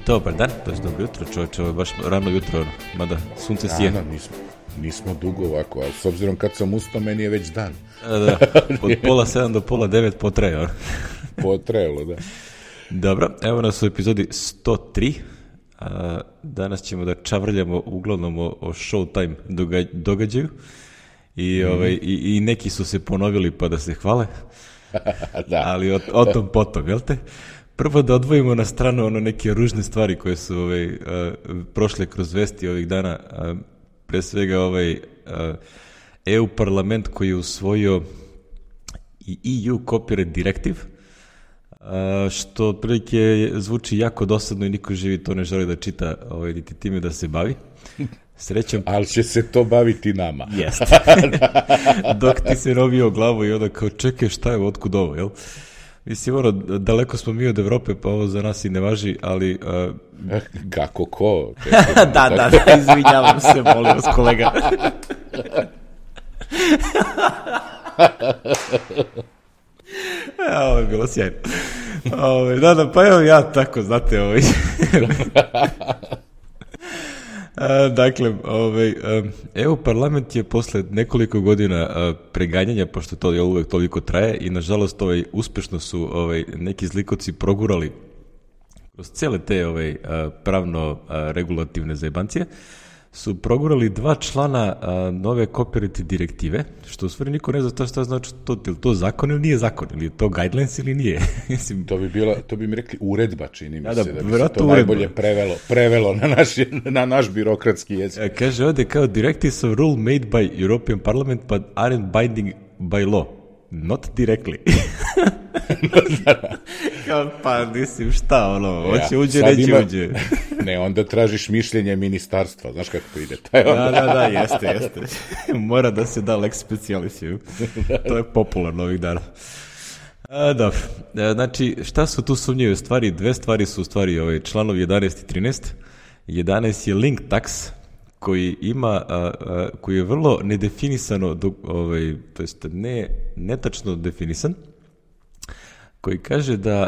Dobar dan, to je dobro jutro, čovječe, ovo je baš rano jutro, mada sunce sije. Nismo dugo ovako, ali s obzirom kad sam ustao, meni je već dan. Da, od 6:30 do 8:30 potraje. Potrajalo, da. Dobro, evo nas u epizodi 103. Danas ćemo da čavrljamo uglavnom o Showtime događaju. I neki su se ponovili pa da se hvale. Da. Ali o tom potom, jel te? Prvo da odvojimo na stranu neke ružne stvari koje su prošle kroz vesti ovih dana. Pre svega EU parlament koji je usvojio i EU Copyright Directive, što otprilike zvuči jako dosadno i niko živi to ne želi da čita, niti time da se bavi. Srećom. Ali će se to baviti nama. Jeste. Dok ti se robio glavu i onda kao čekaj šta je, otkud ovo, jel? Mislim, daleko smo mi od Evrope, pa ovo za nas i ne važi, ali... Kako ko? Da, izvinjavam se, molim vas, kolega. Ovo je bilo sjajno. Da, pa evo ja tako, znate, Dakle, EU parlament je posle nekoliko godina preganjanja, pošto to uvek toliko traje i nažalost uspešno su neki zlikovci progurali kroz cele te pravno-regulativne zajebancije, su progurali 2 člana nove copyright direktive, što u stvari niko ne zna šta znači to, je li to zakon ili nije zakon, ili je to guidelines ili nije. To bi mi rekli uredba, čini mi se, da bi se to najbolje prevelo na naš birokratski jezik. Kaže ovde kao directives of rule made by European Parliament but aren't binding by law. Not directly. Pa mislim šta hoće uđe, neće uđe. Ne, onda tražiš mišljenje ministarstva, znaš kako to ide. Da, jeste. Mora da se da lex specialis. To je popularno ovih dana. Dobro, znači šta su tu sumnjive stvari? 2 stvari su u stvari članovi 11 i 13. 11 je link tax, koji ima, koji je vrlo nedefinisano, to jest netačno definisan, koji kaže da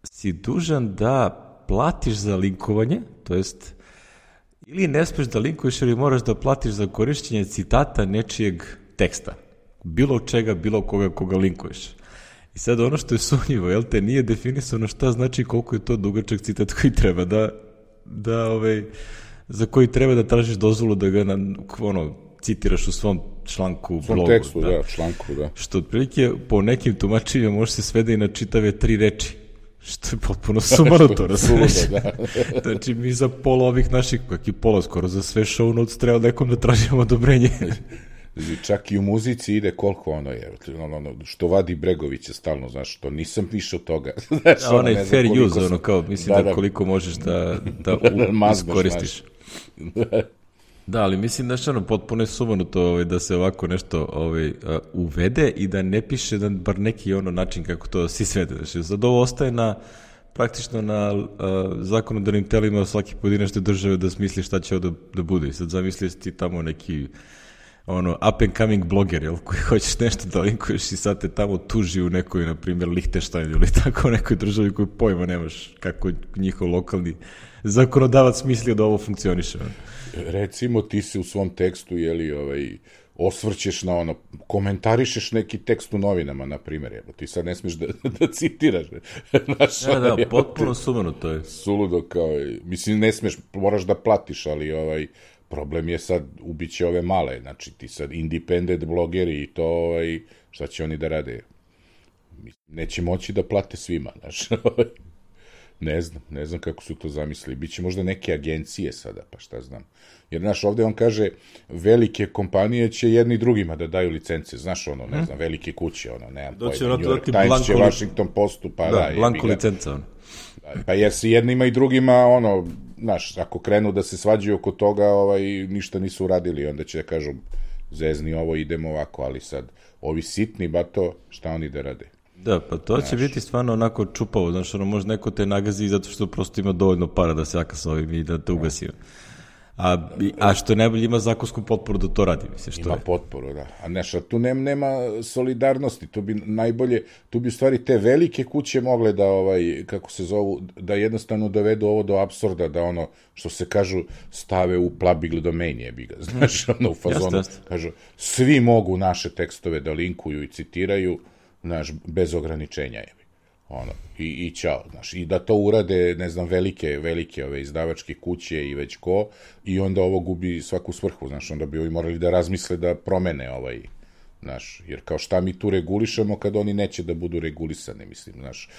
si dužan da platiš za linkovanje, to jest ili ne smeš da linkuješ ili moraš da platiš za korišćenje citata nečijeg teksta, bilo čega, bilo koga linkuješ. I sad ono što je sumnjivo, jel te, nije definisano šta znači koliko je to dugačak citat koji treba za koji treba da tražiš dozvolu da ga citiraš u svom članku, blogu. Tekstu, članku, da. Što otprilike po nekim tumačenjima može se svede i na čitave 3 reči. Što je potpuno sumanuto, razumiješ? Znači mi za pola ovih naših, kak i pola skoro, za sve show notes treba nekom da tražimo odobrenje. Čak i u muzici ide koliko što vadi Bregovića stalno, znaš, što nisam više od toga. Onaj fair use, kao, mislim da koliko možeš da iskoristiš. Da, ali mislim da je potpuno je sumanuto da se ovako nešto uvede i da ne piše bar neki način kako to si svede. Znači, sad ovo ostaje praktično na zakonodavnim telima svake pojedinačne države da smisli šta će ovo da bude. I sad zamisli ti tamo neki up and coming bloger, jel, koji hoćeš nešto da linkuješ i sad te tamo tuži u nekoj, na primjer, Lichtensteinu ili tako u nekoj državi koju pojma nemaš kako njihov lokalni zakonodavac mislio da ovo funkcioniše. Recimo ti se u svom tekstu osvrćeš na komentarišeš neki tekst u novinama, na primjer, ti sad ne smiješ da citiraš. Da, potpuno sumanuto je. Suludo kao, mislim ne smiješ, moraš da platiš, ali problem je sad, ubiće ove male, znači ti sad independent blogeri i to, šta će oni da rade? Neće moći da plate svima, znaš. Ne znam kako su to zamislili. Biće možda neke agencije sada, pa šta znam. Jer, znaš, ovde on kaže, velike kompanije će jedni drugima da daju licence, znaš, ne znam, velike kuće, nemam pojma, New York Times će Washington Postu, pa da, blanko licenca, Pa jer se jednima i drugima, znaš, ako krenu da se svađaju oko toga, ništa nisu uradili, onda će da kažu, zezni ovo, idemo ovako, ali sad, ovi sitni, bato, šta oni da rade? Da, pa to će biti stvarno onako čupavo, znaš, može neko te nagazi zato što prosto ima dovoljno para da se jaka sa ovim i da te ugasi. A što najbolje ima zakonsku potporu da to radi, mislim, što ima je. potporu, da. A nešto, tu nema solidarnosti, tu bi najbolje, tu bi u stvari te velike kuće mogle da, kako se zovu, da jednostavno dovedu ovo do apsurda, da ono, što se kažu, stave u public domain, jebi ga, znaš, ono, u fazonu, kažu, svi mogu naše tekstove da linkuju i citiraju, znaš, bez ograničenja, jebi. Ono, i ćao, znaš, i da to urade, ne znam, velike ove izdavačke kuće i već ko, i onda ovo gubi svaku svrhu, znaš, onda bi ovi morali da razmisle da promene znaš, jer kao šta mi tu regulišemo kad oni neće da budu regulisani, mislim, znaš,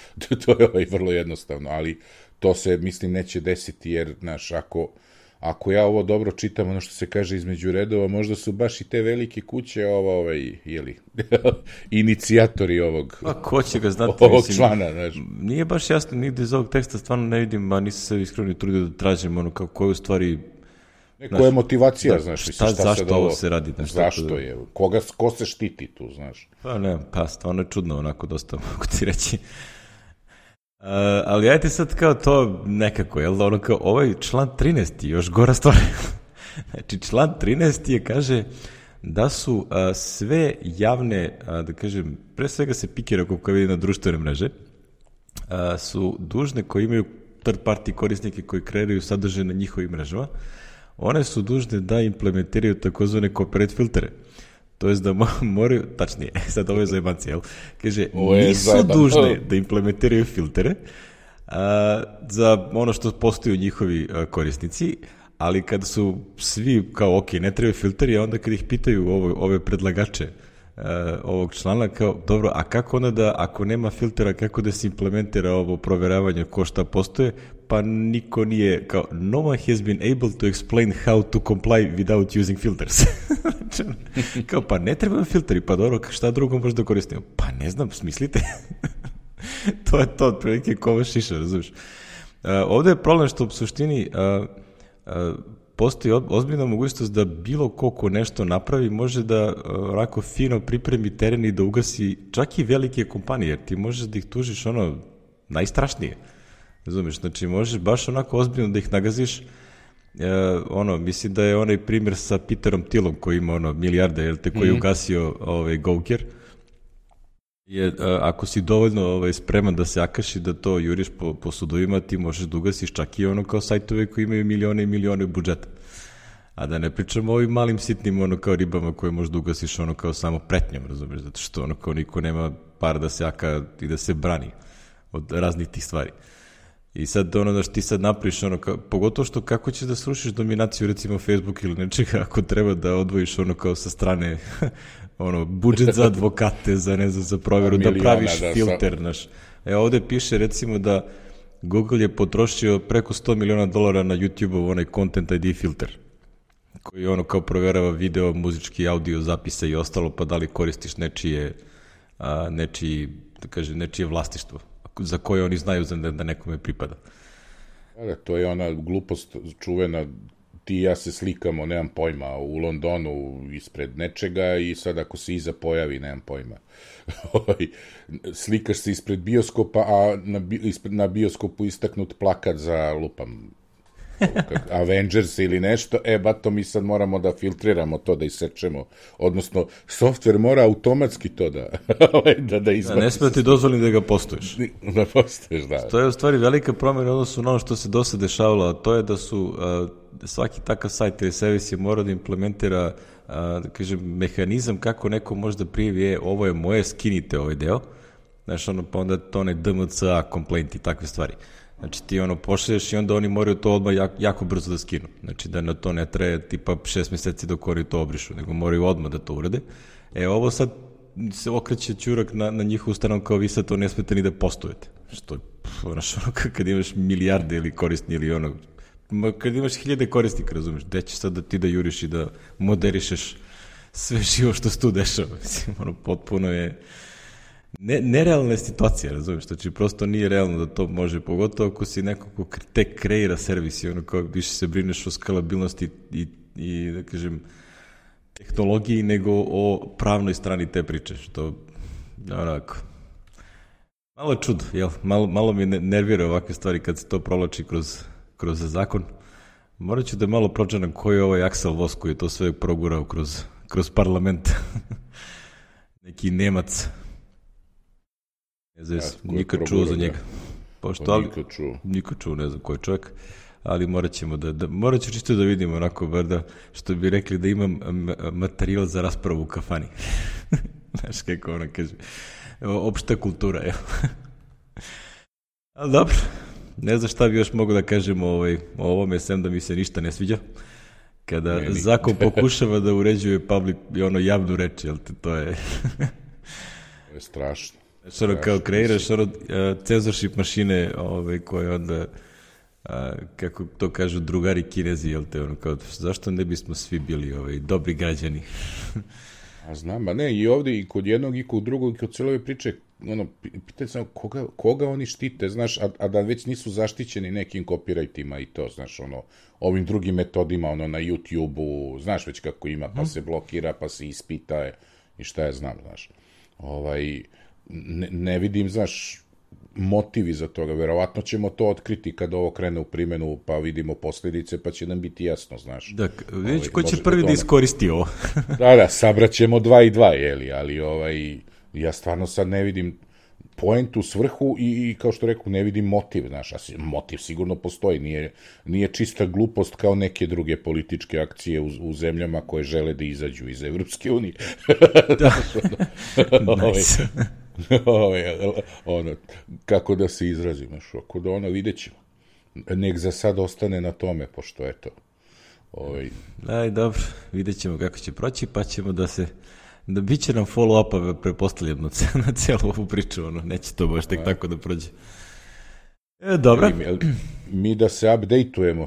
to je vrlo jednostavno, ali to se, mislim, neće desiti, jer, znaš, ako ja ovo dobro čitam, ono što se kaže između redova, možda su baš i te velike kuće inicijatori ovog ko će ga znati, ovog člana, znaš. Nije baš jasno nigde iz ovog teksta, stvarno ne vidim, a nisam se iskreno trudio da tražim ono kako je u stvari... Koja je motivacija, znaš, zašto ovo se radi? Zašto je? Ko se štiti tu, znaš? Pa stvarno je čudno, onako dosta mogu ti reći. Ali ajte sad kao to nekako, jel da ono kao ovaj član 13. je još gora stvar. Znači član 13. je kaže da su sve javne, da kažem, pre svega se pikira kako vidi na društvene mreže, su dužne koji imaju third party korisnike koji kreiraju sadržaj na njihovim mrežama, one su dužne da implementiraju takozvane copyright filtere. To jest da moraju, tačnije, sad ovo je zajebanci, jel? Kaže, nisu dužne da implementiraju filtere za ono što postaju njihovi korisnici, ali kad su svi kao, ok, ne trebaju filteri, a onda kad ih pitaju ove predlagače ovog člana, kao, dobro, a kako onda da, ako nema filtera, kako da se implementira ovo proveravanje ko šta postoje, pa niko nije, kao, no one has been able to explain how to comply without using filters. Kao, pa ne trebam filteri, pa dobro, šta drugo možda koristimo? Pa ne znam, smislite. To je to, otprilike kova šiša, razumiješ. Ovde je problem što u suštini postoji ozbiljna mogućnost da bilo ko nešto napravi može da onako fino pripremi teren i da ugasi čak i velike kompanije, jer ti možeš da ih tužiš ono najstrašnije. Razumiješ, znači možeš baš onako ozbiljno da ih nagaziš. Mislim da je onaj primjer sa Peterom Thielom koji ima milijarde, jel te, koji je ugasio Gawker. Ako si dovoljno spreman da se akaši da to juriš po sudovima, ti možeš da ugasiš čak i ono kao sajtove koji imaju milione i milione budžeta. A da ne pričamo o ovim malim sitnim kao ribama koje možda ugasiš kao samo pretnjom, razumiješ, zato što kao niko nema para da se aka i da se brani od raznih tih stvari. I sad da što ti sad napraviš pogotovo što kako ćeš da srušiš dominaciju recimo Facebook ili nečega ako treba da odvojiš kao sa strane budžet za advokate, za provjeru, da praviš filter, znaš. Ovde piše recimo da Google je potrošio preko $100 miliona na YouTube-ov onaj Content ID filter, koji kao proverava video, muzički, audio, zapise i ostalo, pa da li koristiš nečije vlastištvo, za koje oni znaju da nekome pripada. To je ona glupost čuvena, ti i ja se slikamo, nemam pojma, u Londonu ispred nečega i sad ako se iza pojavi, nemam pojma. Slikaš se ispred bioskopa, a na bioskopu istaknut plakat za lupam Avengers ili nešto, bato mi sad moramo da filtriramo to, da isečemo, odnosno softver mora automatski to da izbaci. Ne smije ti dozvoliti da ga postoješ. Da postoješ, da. To je u stvari velika promjena odnosno na ono što se do sada dešavalo, a to je da su svaki takav sajt ili servis je morao da implementira mehanizam kako neko može da prijavi, ovo je moje, skinite ovaj deo, znaš, pa onda to onaj DMCA, complaint i takve stvari. Znači ti pošalješ i onda oni moraju to odmah jako brzo da skinu. Znači da na to ne traje tipa 6 meseci dok oni to obrišu, nego moraju odmah da to urade. Ovo sad se okreće ćurak na njihovu stranu kao vi sad to ne smete ni da postujete. Što je, kad imaš milijarde ili korisni ili kad imaš 1000 korisnika, razumiješ, gde ćeš sad da ti da juriš i da moderišeš sve živo što se tu dešava. Mislim, potpuno je nerealna situacija, razumiješ, znači prosto nije realno da to može, pogotovo ako si neko ko tek kreira servis i kao više se brineš o skalabilnosti i da kažem tehnologiji nego o pravnoj strani te priče, što onako malo je čudo, jel? Malo mi nervira ovakve stvari kad se to provlači kroz zakon, Morat ću da malo pročanam koji je ovaj Axel Voss koji je to sve progurao kroz parlament. Neki Nemac. Ne znam, nikad čuo za njega. Niko čuo, ne znam koji čovjek. Ali morat ću čisto da vidimo onako, bar da, što bi rekli da imam materijal za raspravu u kafani. Znaš kako ona kaže. Opšta kultura, evo. Ali dobro, ne znam šta bi još mogu da kažem o ovome, sem da mi se ništa ne sviđa. Kada zakon pokušava da uređuje javnu reč, jel te, to je... To je strašno. Znači, kao kreiraš censorship mašine koje onda, kako to kažu drugari Kinezi, jel te, kao, zašto ne bismo svi bili dobri građani? A znam, ne, i ovdje i kod jednog i kod drugog i kod cijele priče, pitaj sam koga oni štite, znaš, a da već nisu zaštićeni nekim copyrightima i to, znaš, ovim drugim metodima, na YouTube-u, znaš već kako ima, pa se blokira, pa se ispita i šta ja znam, znaš. Ne vidim, znaš, motivi za toga, verovatno ćemo to otkriti kad ovo krene u primjenu, pa vidimo posljedice, pa će nam biti jasno, znaš. Da, vidjet ko će prvi da iskoristi ovo. Da, sabraćemo 2 i 2, jeli, ali ja stvarno sad ne vidim poentu, svrhu i kao što reku, ne vidim motiv, znaš, motiv sigurno postoji, nije čista glupost kao neke druge političke akcije u zemljama koje žele da izađu iz Evropske unije. Da, nice. Kako da se izrazim, znaš, ako da vidjet ćemo. Nek za sad ostane na tome, pošto eto. Aj, dobro, vidjet ćemo kako će proći, pa ćemo da bit će nam follow-upa prepostavljeno na celu ovu priču, neće to baš tek tako da prođe. Dobro. Mi da se update-ujemo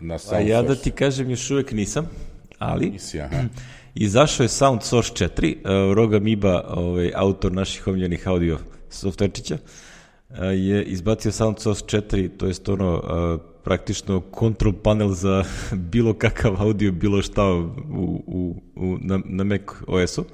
na SoundSource. A ja da ti kažem, još uvijek nisam, ali izašao je SoundSource 4, Roga Miba, autor naših omiljenih audio softverčića, je izbacio SoundSource 4, to jest praktično control panel za bilo kakav audio, bilo šta na Mac OS-u.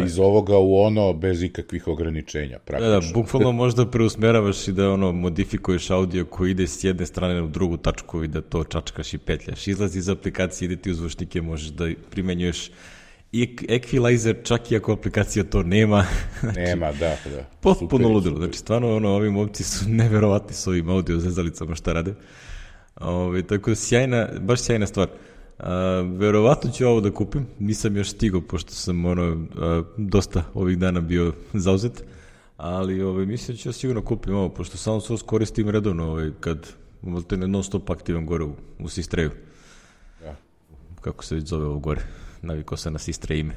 Iz ovoga u ono bez ikakvih ograničenja, praktično. Da, bukvalno možda preusmeravaš i da modifikuješ audio koji ide s jedne strane u drugu tačku i da to čačkaš i petljaš. Izlazi iz aplikacije, ide ti u zvučnike, možeš da primenjuješ i equalizer, čak i ako aplikacija to nema. Nema, da. Potpuno ludilo. Znači, stvarno, ovi momci su neverovatni s ovim audio zezalicama šta rade. Tako baš sjajna stvar. Verovatno ću ovo da kupim, nisam još stigao, pošto sam dosta ovih dana bio zauzet, ali mislim da ću ja sigurno kupim ovo, pošto SoundSource koristim redovno, kad non stop aktivan gore u Sistreju. Da. Kako se već zove ovo gore? Navikao sam na Sistre ime.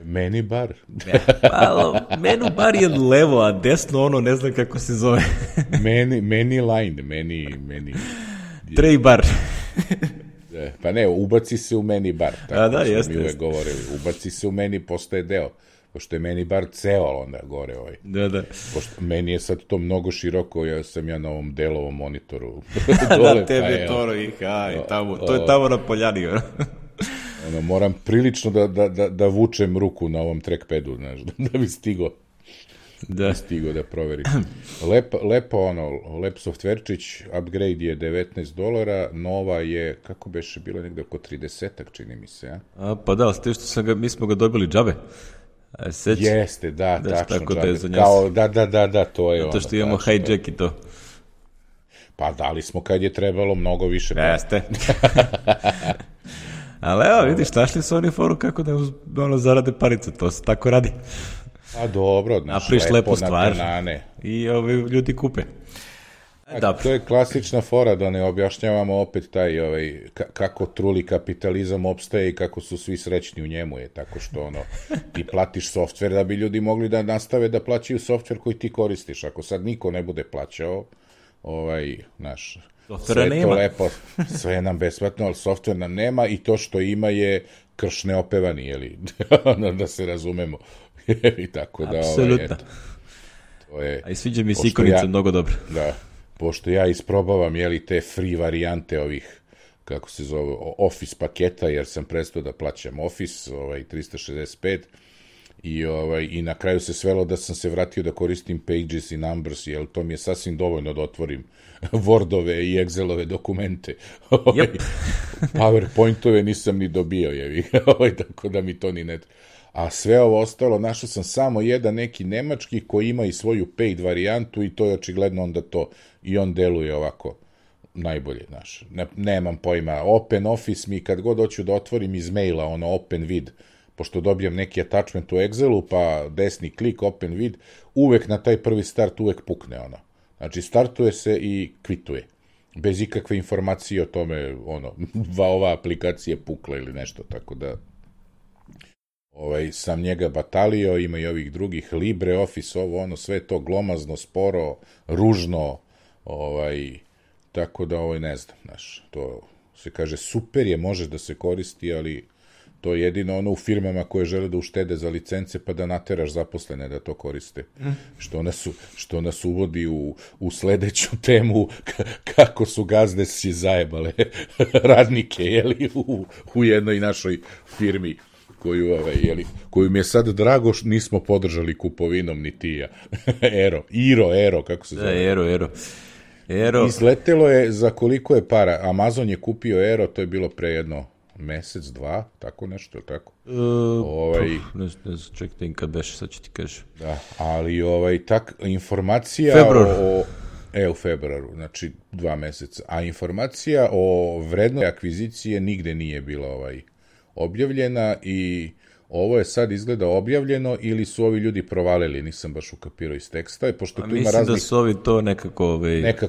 Menu bar. Menu bar je levo, a desno ne znam kako se zove. Meni line, Tray bar. Pa ne, ubaci se u meni bar. Tako smo mi uvek govorili. Ubaci se u meni, postaje deo. Pošto je meni bar ceo onda gore Da. Pošto meni je sad to mnogo široko, sam ja na ovom delovom monitoru. Da, tebe to je tamo na poljani. Moram prilično da vučem ruku na ovom trackpadu, znaš, da bi stigao da proverim. Lep softverčić, upgrade je $19, nova je, kako beše, bilo negde oko 30-ak, čini mi se, ja? Pa da, ste što mi smo ga dobili džabe. Jeste, da, tačno. Tako da je za Da, to je to što imamo hijack i to. Pa dali smo kad je trebalo mnogo više. Jeste. Ali evo, vidiš, našli su oni foru kako da zarade parice, to se tako radi. A dobro, napriš lepu stvar i ljudi kupe. To je klasična fora, da ne objašnjavamo opet taj kako truli kapitalizam opstaje i kako su svi srećni u njemu je, tako što ti platiš softver da bi ljudi mogli da nastave da plaćaju softver koji ti koristiš. Ako sad niko ne bude plaćao, softvera nema. Sve to lepo, sve je nam besplatno, ali softver nam nema i to što ima je krš neopevani, jeli, da se razumemo. I tako da, apsolutno. A i sviđa mi se ikonica mnogo dobro. Da, pošto ja isprobavam, te free varijante ovih, kako se zove, Office paketa, jer sam prestao da plaćam Office, 365, I na kraju se svelo da sam se vratio da koristim Pages i Numbers, jer to mi je sasvim dovoljno da otvorim Wordove i Excelove dokumente. Yep. PowerPointove nisam ni dobio, tako da mi to ni ne... A sve ovo ostalo, našao sam samo jedan neki nemački koji ima i svoju paid varijantu i to je očigledno onda to, i on deluje ovako najbolje, znaš. Nemam pojma, Open Office mi kad god hoću da otvorim iz maila, ono Open Vid, pošto dobijem neki attachment u Excelu, pa desni klik, Open Vid, uvek na taj prvi start uvek pukne ono. Znači, startuje se i kvituje. Bez ikakve informacije o tome, ova aplikacija je pukla ili nešto, tako da sam njega batalio, ima i ovih drugih, LibreOffice, sve to glomazno, sporo, ružno, tako da ne znam, znaš, to se kaže super je, možeš da se koristi, ali to je jedino u firmama koje žele da uštede za licence pa da nateraš zaposlene da to koriste. Što nas uvodi u sledeću temu kako su gazde si zajebale radnike, u jednoj našoj firmi koju mi je sad drago što nismo podržali kupovinom ni ti ja. Ero, kako se zove? Ero. Izletelo je za koliko je para. Amazon je kupio Ero, to je bilo pre jedno mesec, dva, tako nešto, tako? Ne znam, čekaj, kad beše, sad ću ti kažem. Da, ali informacija u februaru, znači 2 meseca, a informacija o vrednosti akvizicije nigde nije bila objavljena i ovo je sad izgleda objavljeno ili su ovi ljudi provalili, nisam baš ukapirao iz teksta, pošto tu ima mislim da su ovi to nekako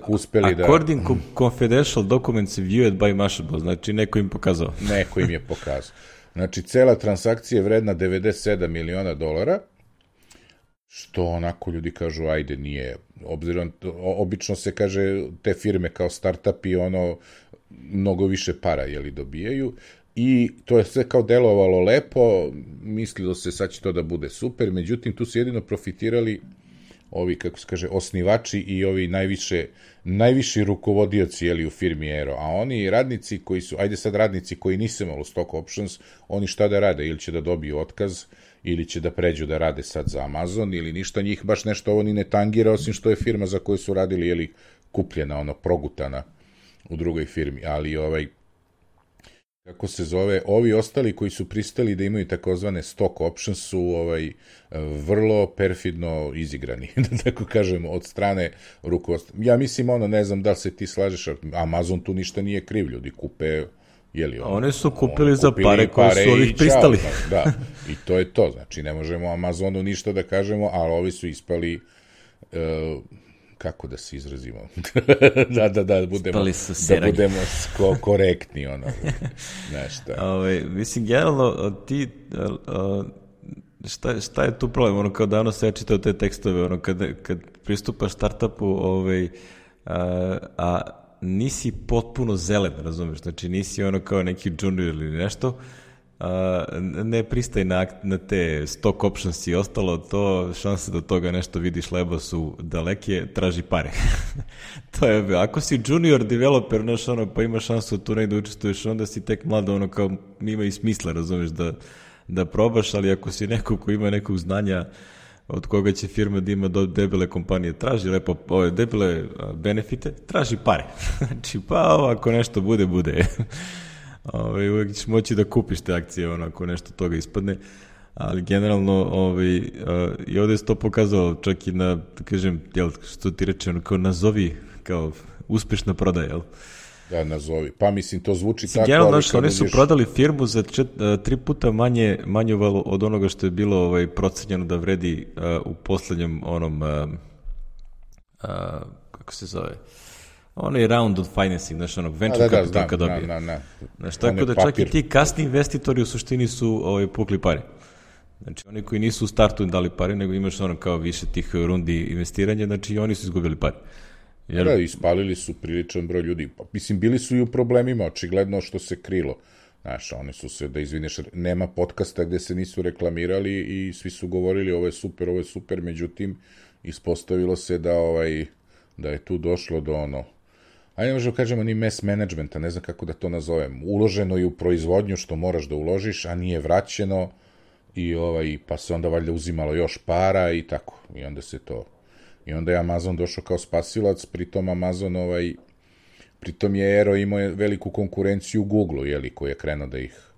uspeli da... According confidential documents viewed by Mashable, znači neko im pokazao. Neko im je pokazao. Znači, cela transakcija je vredna $97 miliona, što onako ljudi kažu, ajde, nije, obzirom, obično se kaže te firme kao startupi, mnogo više para, dobijaju, i to je sve kao delovalo lepo, mislilo se sad će to da bude super, međutim tu su jedino profitirali ovi, kako se kaže, osnivači i ovi najviši rukovodioci u firmi Aero, a oni radnici koji su, ajde sad radnici koji nisu imali stock options, oni šta da rade, ili će da dobiju otkaz, ili će da pređu da rade sad za Amazon, ili ništa, njih baš nešto ovo ni ne tangira, osim što je firma za koju su radili, kupljena, progutana u drugoj firmi, ali kako se zove, ovi ostali koji su pristali da imaju takozvane stock options su vrlo perfidno izigrani, da tako kažemo, od strane rukovodstva. Ja mislim, ne znam da li se ti slažeš, Amazon tu ništa nije kriv, ljudi kupe, oni su kupili za pare koje su ovih pristali. Da, i to je to, znači ne možemo Amazonu ništa da kažemo, ali ovi su ispali... kako da se izrazimo, da budemo korektni, nešto. Mislim, generalno, ti, šta je tu problem, kao davno se ja čitao te tekstove, kad pristupaš startupu, a nisi potpuno zelen, razumeš, znači nisi kao neki junior ili nešto, ne pristaj na te stock options i ostalo, to šanse da toga nešto vidiš lebo su daleke, traži pare. To je, ako si junior developer, pa imaš šansu tu negde učestvuješ, onda si tek mlado, kao nima i smisla, razumeš, da probaš, ali ako si neko ko ima nekog znanja od koga će firma da ima debele kompanije, traži lepo ove debele benefite, traži pare. Znači, pa ako nešto bude. Uvijek ćeš moći da kupiš te akcije ako nešto toga ispadne, ali generalno i ovdje se to pokazalo čak i na, da kažem, što ti reče, kao nazovi, kao uspešna prodaja, jel? Da, nazovi. Pa mislim, to zvuči tako, generalno, oni su prodali firmu za 3 puta manju od onoga što je bilo procenjeno da vredi u poslednjem kako se zove, onaj round of financing, znaš, venture capital kad dobije. Znaš, tako da čak i ti kasni investitori u suštini su pukli pare. Znači, oni koji nisu u startu dali pare, nego imaš kao više tih rundi investiranja, znači i oni su izgubili pare. Da, ispalili su priličan broj ljudi. Mislim, bili su i u problemima, očigledno što se krilo. Znaš, oni su se, da izvineš, nema podcasta gde se nisu reklamirali i svi su govorili ovo je super, međutim, ispostavilo se da je tu došlo do ajde ne možemo kažemo ni mass managementa, ne znam kako da to nazovem, uloženo je u proizvodnju što moraš da uložiš, a nije vraćeno, i pa se onda valjda uzimalo još para i tako. I onda je Amazon došao kao spasilac, pritom Amazon pritom je Aero imao veliku konkurenciju Google-u, koji je krenuo da ih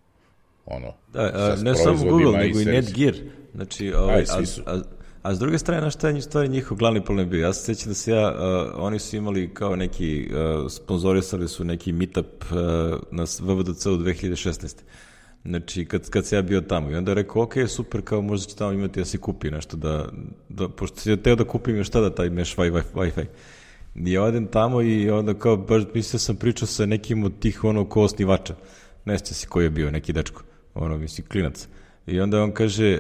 ne samo Google, nego i Netgear. Znači, a s druge strane, šta je stvari njihov glavni problem bio? Ja se sjećam da oni su imali kao neki, sponzorisali su neki meetup na VVDC u 2016. Znači, kad se ja bio tamo. I onda je rekao, ok, super, kao možda će tamo imati da se kupi nešto, pošto si teo da kupim još tada taj mesh Wi-Fi. I ja odem tamo i onda kao, baš mislio sam pričao sa nekim od tih ko osnivača. Ne sjeća si koji je bio, neki dečko, klinac. I onda on kaže,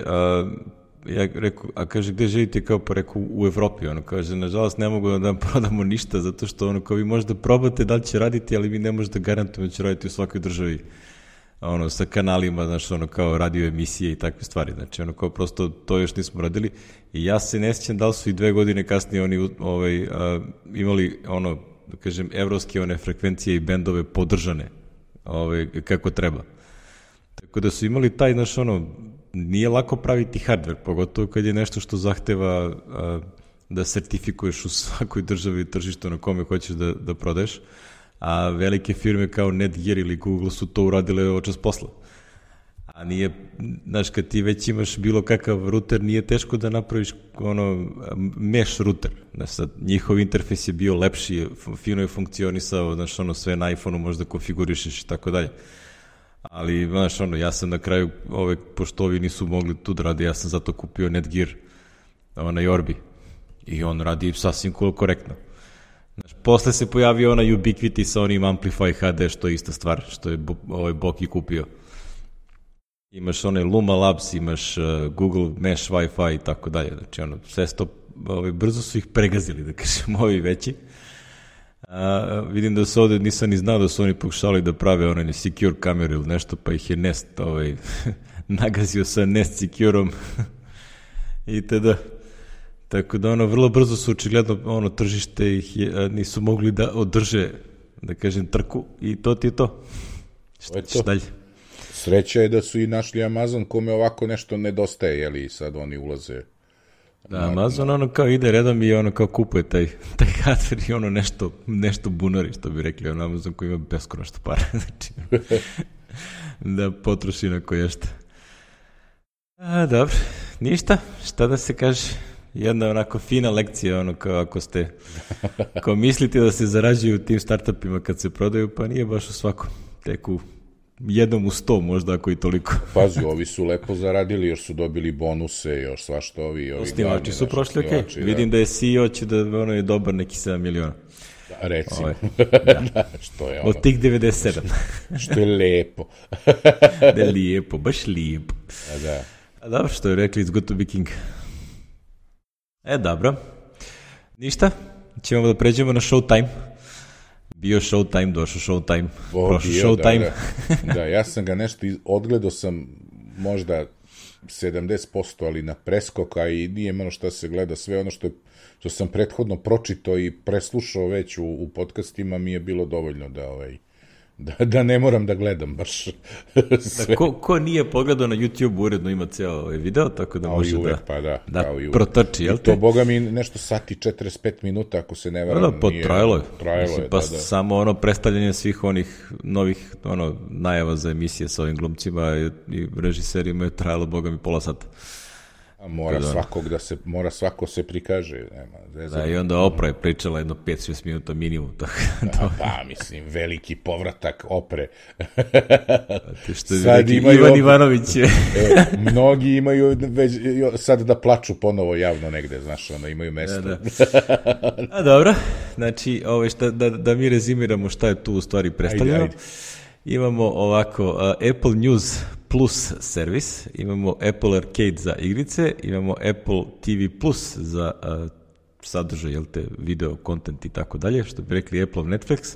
ja rekao, kaže, gde živite, kao pa rekao, u Evropi, kaže, nažalost ne mogu da vam prodamo ništa, zato što kao vi možete probate da li će raditi, ali vi ne možete garantujemo da će raditi u svakoj državi, sa kanalima, znaš, kao radio emisije i takve stvari, znači, kao prosto to još nismo radili i ja se ne sjećam da li su i 2 godine kasnije oni imali, da kažem, evropske frekvencije i bendove podržane, kako treba. Tako da su imali taj, znaš, nije lako praviti hardware, pogotovo kad je nešto što zahteva da sertifikuješ u svakoj državi tržištu na kome hoćeš da prodaješ, a velike firme kao Netgear ili Google su to uradile očas posla. A nije, znaš, kad ti već imaš bilo kakav ruter, nije teško da napraviš mesh ruter. Znaš, sad, njihov interfejs je bio lepši, fino je funkcionisao, znaš, sve na iPhone-u možda konfigurišeš i tako dalje. Ali, znaš, ja sam na kraju, pošto ovi nisu mogli tu da radi, ja sam zato kupio Netgear na Orbi. I on radi sasvim korektno. Znaš, posle se pojavio Ubiquiti sa onim Amplify HD, što je ista stvar, što je Boki kupio. Imaš Luma Labs, imaš Google Mesh Wi-Fi i tako dalje. Znači, sve to, brzo su ih pregazili, da kažem, ovi veći. Vidim da su ovde, nisam ni znao da su oni pokušali da prave secure kameru ili nešto, pa ih je Nest nagazio sa Nest Secureom i tada. Tako da vrlo brzo su očigledno tržište ih nisu mogli da održe, da kažem, trku i to ti je to. Šta dalje? Sreća je da su i našli Amazon kome ovako nešto nedostaje, sad oni ulaze. Da, Amazon kao ide redom i kao kupuje taj hardware i nešto bunari, što bi rekli, Amazon koji ima beskonačno para, znači da potroši na koješta. Dobro, ništa, šta da se kaže, jedna onako fina lekcija, kao ako mislite da se zarađuju u tim startupima kad se prodaju, pa nije baš u svakom, tek u jednom u 100 možda, ako i toliko. Pazi, ovi su lepo zaradili, još su dobili bonuse, još svašta ovi osnivači su prošli, okej. Vidim da je CEO će da je dobar neki 7 miliona. Da, recimo. Što je od tih 97. Što je lepo. Da je lijepo, baš lijepo. Da. A dobro, što je rekli, it's good to be king. Dobro. Ništa, ćemo da pređemo na Showtime. Bio Showtime, došao Showtime, prošao Showtime. Da, ja sam ga nešto, odgledao sam možda 70%, ali na preskoka i nije malo šta se gleda, sve ono što sam prethodno pročitao i preslušao već u podcastima mi je bilo dovoljno da ne moram da gledam baš sve. Ko nije pogledao na YouTube uredno ima cijelo video, tako da može uvek, da protrči, jel te? I to, boga mi, nešto sati 45 minuta, ako se ne varam. Trajalo je. Pa samo predstavljanje svih onih novih najava za emisije sa ovim glumcima i režiserima je trajalo, boga mi, pola sata. Mora svako se prikaže. Da, i onda Opra je pričala jedno 5-6 minuta minimum. Mislim, veliki povratak Opre. Sad Ivan Ivanović. Mnogi imaju već sad da plaču ponovo javno negde, znaš, imaju mesto. A dobro, znači, da mi rezimiramo šta je tu u stvari predstavljeno. Ajde. Imamo ovako, Apple News Plus servis, imamo Apple Arcade za igrice, imamo Apple TV Plus za sadržaj, video, content i tako dalje, što bi rekli Apple Netflix,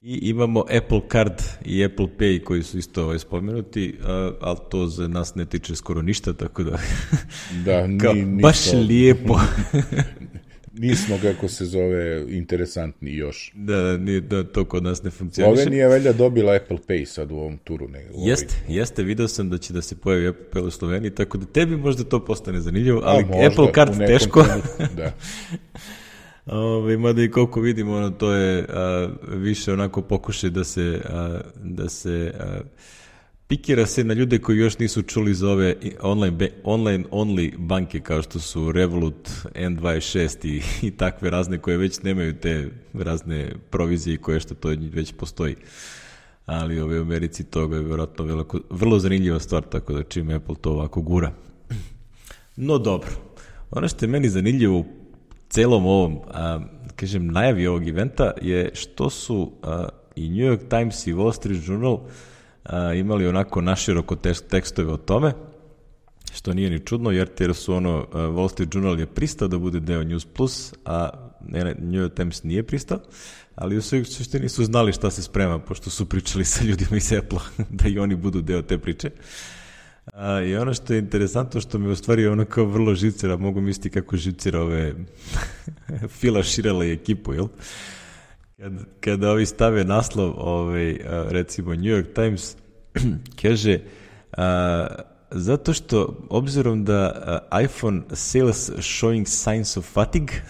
i imamo Apple Card i Apple Pay koji su isto spomenuti, ali to za nas ne tiče skoro ništa, tako da, baš lijepo. Nismo, kako se zove, interesantni još. Da, to kod nas ne funkcioniše. Slovenija velja dobila Apple Pay sad u ovom turu. Jeste, video sam da će da se pojavi Apple Pay u Sloveniji, tako da tebi možda to postane zanimljivo, ali Apple Card teško. Da. Mada i koliko vidimo, to je više onako pokušaj da se pikira se na ljude koji još nisu čuli za ove online only banke kao što su Revolut, N26 i takve razne koje već nemaju te razne provizije koje što to već postoji. Ali u Americi toga je vjerojatno vrlo zanimljiva stvar, tako da čim Apple to ovako gura. No dobro, ono što je meni zanimljivo u celom ovom, najavi ovog eventa je što su i New York Times i Wall Street Journal imali onako naširoko tekstove o tome, što nije ni čudno, jer su Wall Street Journal je pristao da bude deo News Plus, a New York Times nije pristao, ali u suštini su znali šta se sprema, pošto su pričali sa ljudima iz Apple-a, da i oni budu deo te priče. I ono što je interesantno, što mi u stvari ono kao vrlo živcira, mogu misliti kako živcira ove Fila Širela i ekipu, jel? Kada ovi stave naslov, recimo New York Times, kaže zato što, obzirom da iPhone sales showing signs of fatigue,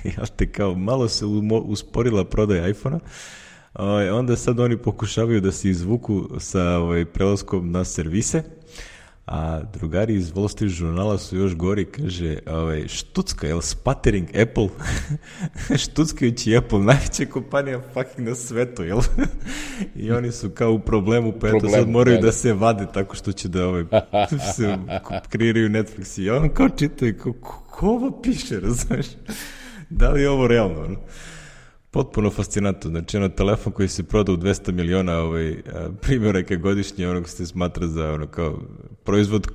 jel te, kao malo se usporila prodaja iPhone-a, onda sad oni pokušavaju da se izvuku sa prelaskom na servise, a drugari iz Wall Street žurnala su još gori, kaže, štucka, jel, sputtering Apple, štuckajući Apple, najveća kompanija fucking na svetu, jel? I oni su kao u problemu, pa eto sad moraju da se vade tako što će da se kreiraju Netflix i on kao čitaju, ko ovo piše, razumeš? Da li je ovo realno, Potpuno fascinantno, znači telefon koji se proda u 200 miliona primjeraka godišnje, onog se smatra za kao proizvod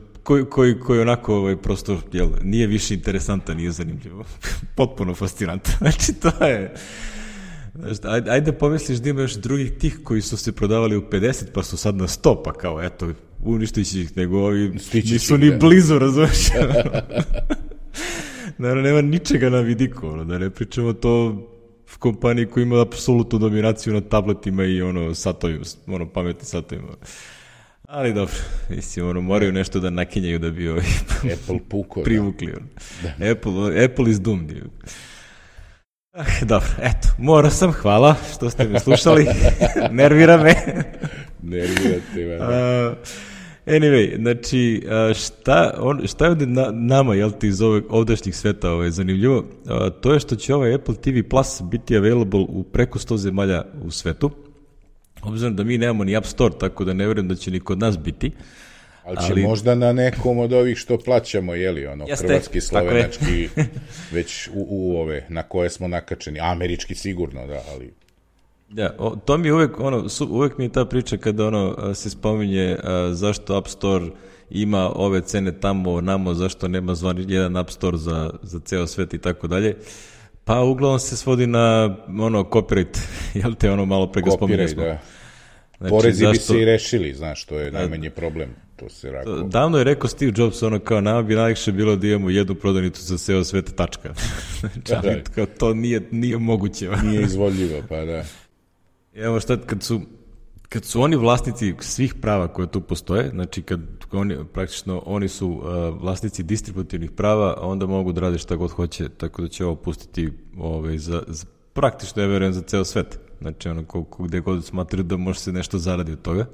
koji onako prosto nije više interesantan, nije zanimljivo. Potpuno fascinantno. Znači to je... Ajde pomisliš da ima još drugih tih koji su se prodavali u 50 pa su sad na 100, pa kao eto, uništići ih, nego ovi nisu ni blizu, razumiješ? Naravno, nema ničega na vidiku, da ne pričamo to kompaniji koja ima apsolutnu dominaciju na tabletima i satovima, pametnim satovima. Ali dobro, mislim, moraju nešto da nakinjaju da bi Apple puko, privukli. Apple is doomed. Dobro, eto, morao sam, hvala što ste me slušali, nervira me. Nervirate me. Anyway, znači, šta je ovdje nama, jel ti, iz ovdašnjih sveta zanimljivo, to je što će ovaj Apple TV Plus biti available u preko 100 zemalja u svetu, obzirom da mi nemamo ni App Store, tako da ne vjerujem da će ni kod nas biti. Ali će možda na nekom od ovih što plaćamo, hrvatski, slovenački, već u ove, na koje smo nakačeni, američki sigurno, da, ali... Da, to mi uvek mi je ta priča kada se spominje zašto App Store ima ove cene tamo, namo, zašto nema jedan App Store za ceo svet i tako dalje. Pa uglavnom se svodi na copyright, jel te malo pre ga spominjali smo. Da. Znači, porezi bi se i rešili, znaš, to je najmanji problem. To se rako... Davno je rekao Steve Jobs, kao nama bi najlakše bilo da imamo jednu prodavnicu za ceo svet, tačka. Znači, to nije moguće. Nije izvodljivo, pa da. Evo šta, kad su oni vlasnici svih prava koje tu postoje, znači praktično oni su vlasnici distributivnih prava, onda mogu da rade šta god hoće, tako da će ovo pustiti praktično, ja verujem, za ceo svet. Znači, gde god smatraju da može se nešto zaradi od toga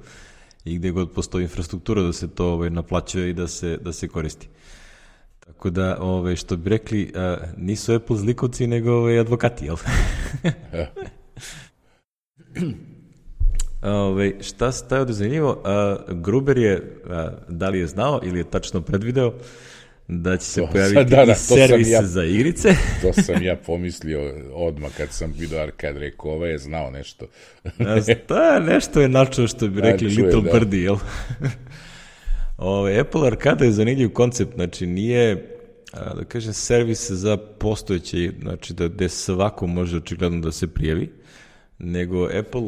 i gde god postoji infrastruktura da se to naplaćuje i da se koristi. Tako da, što bi rekli, nisu Apple zlikovci, nego advokati, jel? Šta se taj ovdje zanimljivo? Gruber je, da li je znao ili je tačno predvideo da će se pojaviti i servis za igrice. To sam ja pomislio odmah kad sam vidio Arcade, rekao, ovaj je znao nešto. Nešto je načuo, što bi rekli Little Birdie, jel? Apple Arcade je zanimljiv koncept, znači nije, da kažem, servis za postojeće, znači da svako može očigledno da se prijavi, nego Apple,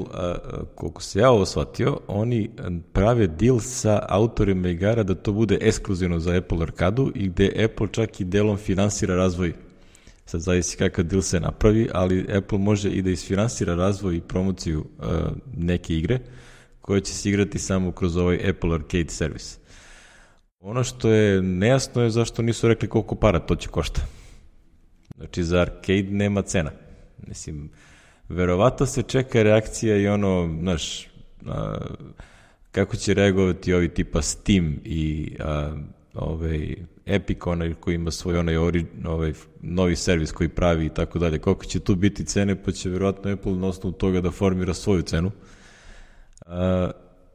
koliko se ja ovo shvatio, oni prave deal sa autorima igara da to bude ekskluzivno za Apple Arcadu i gde Apple čak i delom finansira razvoj Sad zavisi kakav deal se napravi, ali Apple može i da isfinansira razvoj i promociju neke igre koje će se igrati samo kroz ovaj Apple Arcade servis. Ono što je nejasno je zašto nisu rekli koliko para to će košta. Znači, za arcade nema cena. Mislim, verovatno se čeka reakcija i ono, znaš, kako će reagovati ovi tipa Steam i Epic, onaj koji ima svoj onaj novi servis koji pravi i tako dalje. Koliko će tu biti cene, pa će verovatno Apple na osnovu toga da formira svoju cenu.